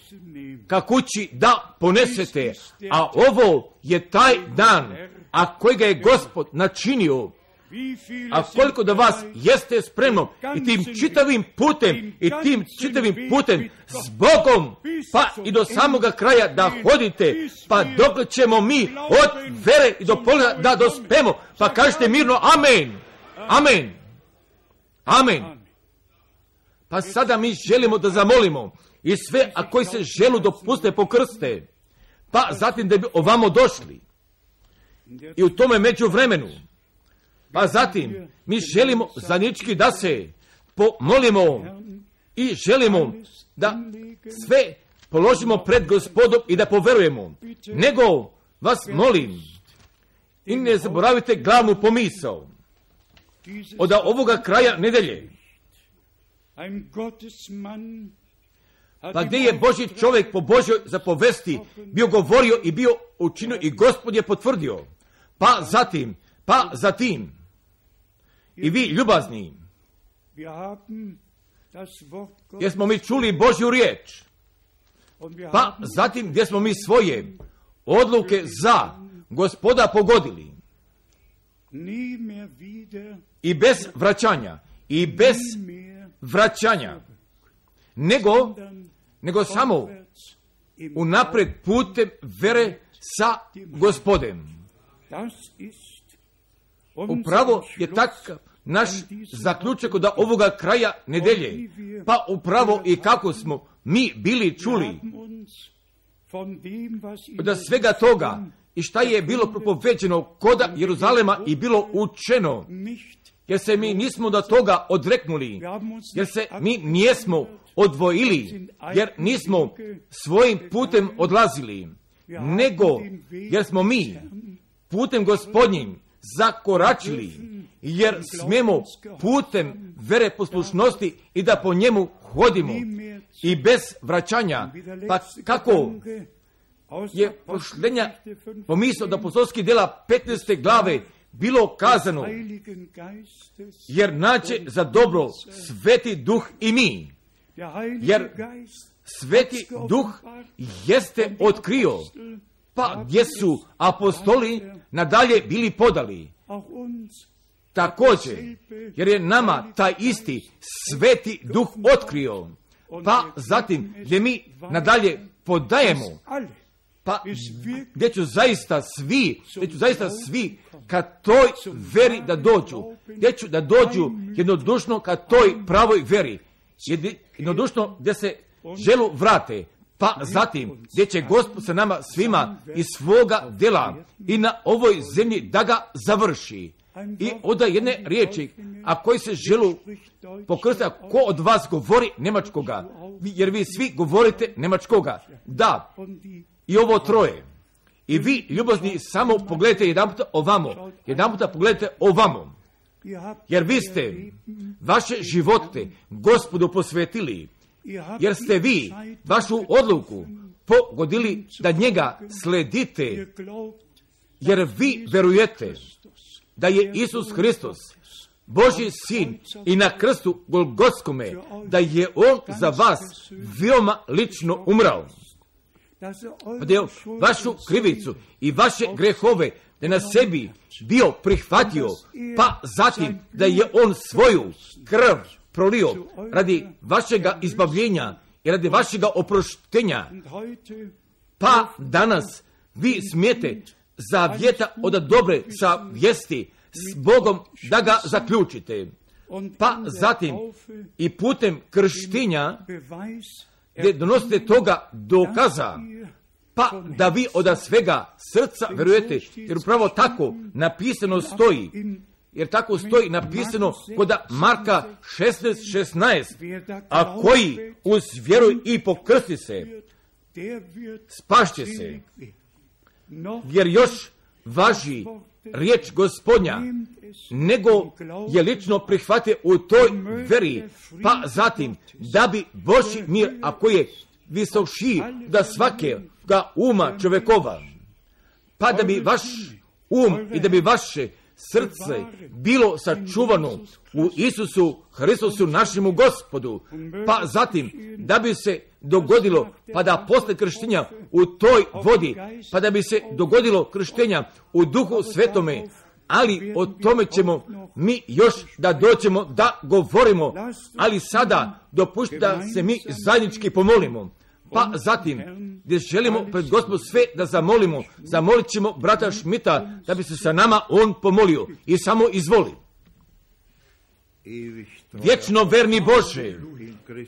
ka kući da ponesete, a ovo je taj dan, a kojega je Gospod načinio. A koliko da vas jeste spremno i tim čitavim putem i tim čitavim putem s Bogom pa i do samoga kraja da hodite, pa dok ćemo mi od vere i do pola da dospemo, pa kažete mirno amen, amen, amen. Pa sada mi želimo da zamolimo i sve, a koji se želu dopuste pokrste, pa zatim da bi ovamo došli i u tome međuvremenu. Pa zatim, mi želimo zanički da se pomolimo i želimo da sve položimo pred Gospodom i da poverujemo. Nego vas molim i ne zaboravite glavnu pomisao od ovoga kraja nedelje. Pa gdje je Božji čovjek po Božjoj zapovesti bio govorio i bio učinio i Gospod je potvrdio. Pa zatim, pa zatim, i vi ljubazni, jer smo mi čuli Božju riječ, pa zatim gdje smo mi svoje odluke za Gospoda pogodili i bez vraćanja, i bez vraćanja, nego, nego samo unapred putem vere sa Gospodem. Upravo je takav naš zaključak od ovoga kraja nedelje. Pa upravo i kako smo mi bili čuli od svega toga i šta je bilo propoveđeno koda Jeruzalema i bilo učeno, jer se mi nismo do toga odreknuli, jer se mi nijesmo odvojili, jer nismo svojim putem odlazili, nego jer smo mi putem Gospodnjim zakoračili, jer smemo putem vere poslušnosti i da po njemu hodimo i bez vraćanja. Pa kako je pošlenja pomisao da apostolskih djela petnaeste glave bilo kazano, jer naće za dobro Sveti Duh i mi, jer Sveti Duh jeste otkrio, pa gdje su apostoli nadalje bili podali. Također, jer je nama taj isti Sveti Duh otkrio, pa zatim gdje mi nadalje podajemo, pa gdje ću zaista svi, gdje ću zaista svi ka toj veri da dođu, gdje ću da dođu jednodušno ka toj pravoj veri, jednodušno gdje se želu vrate, pa zatim gdje će Gospod sa nama svima iz svoga djela i na ovoj zemlji da ga završi. I onda jedne riječi, a koji se želu pokrstiti, ko od vas govori nemačkoga, jer vi svi govorite nemačkoga. Da, i ovo troje. I vi, ljubazni, samo pogledajte jedan puta ovamo, jedan puta pogledajte ovamo, jer vi ste vaše živote Gospodu posvetili, jer ste vi vašu odluku pogodili da njega sledite, jer vi verujete da je Isus Hristos, Božji sin, i na krstu Golgotskome, da je On za vas veoma lično umrao. Da je vašu krivicu i vaše grehove da na sebi bio prihvatio, pa zatim da je On svoju krv prolio radi vašega izbavljenja i radi vašega oproštenja. Pa danas vi smijete zavjeta od dobre sa vijesti s Bogom da ga zaključite. pa zatim i putem krštinja, gdje donosite toga dokaza, pa da vi od svega srca verujete, jer upravo tako napisano stoji, jer tako stoji napisano kod Marka šesnaest šesnaest, a koji uz vjeru i pokrsti se, spašće se, jer još važi riječ Gospodnja, nego je lično prihvatio u toj veri, pa zatim da bi Božji mir, a koji je visoši da svakega uma čovjekova, pa da bi vaš um i da bi vaše srce bilo sačuvano u Isusu Hristusu našemu Gospodu, pa zatim da bi se dogodilo, pa da posle krštenja u toj vodi, pa da bi se dogodilo krštenja u Duhu Svetome, ali o tome ćemo mi još da doćemo da govorimo, ali sada dopušti da se mi zajednički pomolimo. Pa zatim, gdje želimo pred Gospod sve da zamolimo, zamolit ćemo brata Šmita da bi se sa nama on pomolio i samo izvoli. Vječno verni Bože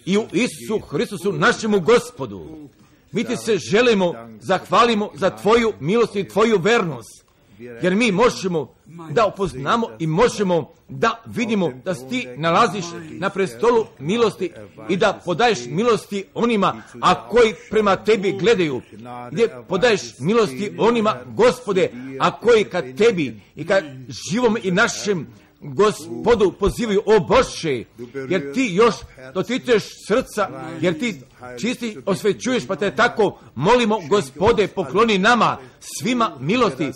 i u Isusu Hristusu našemu Gospodu, mi ti se želimo, zahvalimo za tvoju milost i tvoju vernost, jer mi možemo da upoznamo i možemo da vidimo da si ti nalaziš na prestolu milosti i da podaješ milosti onima, a koji prema tebi gledaju, gdje podaješ milosti onima, Gospode, a koji kad tebi i kad živom i našem Gospodu pozivaju, o Bože, jer ti još dotičeš srca, jer ti čisti osvećuješ, pa te tako molimo, Gospode, pokloni nama svima milosti,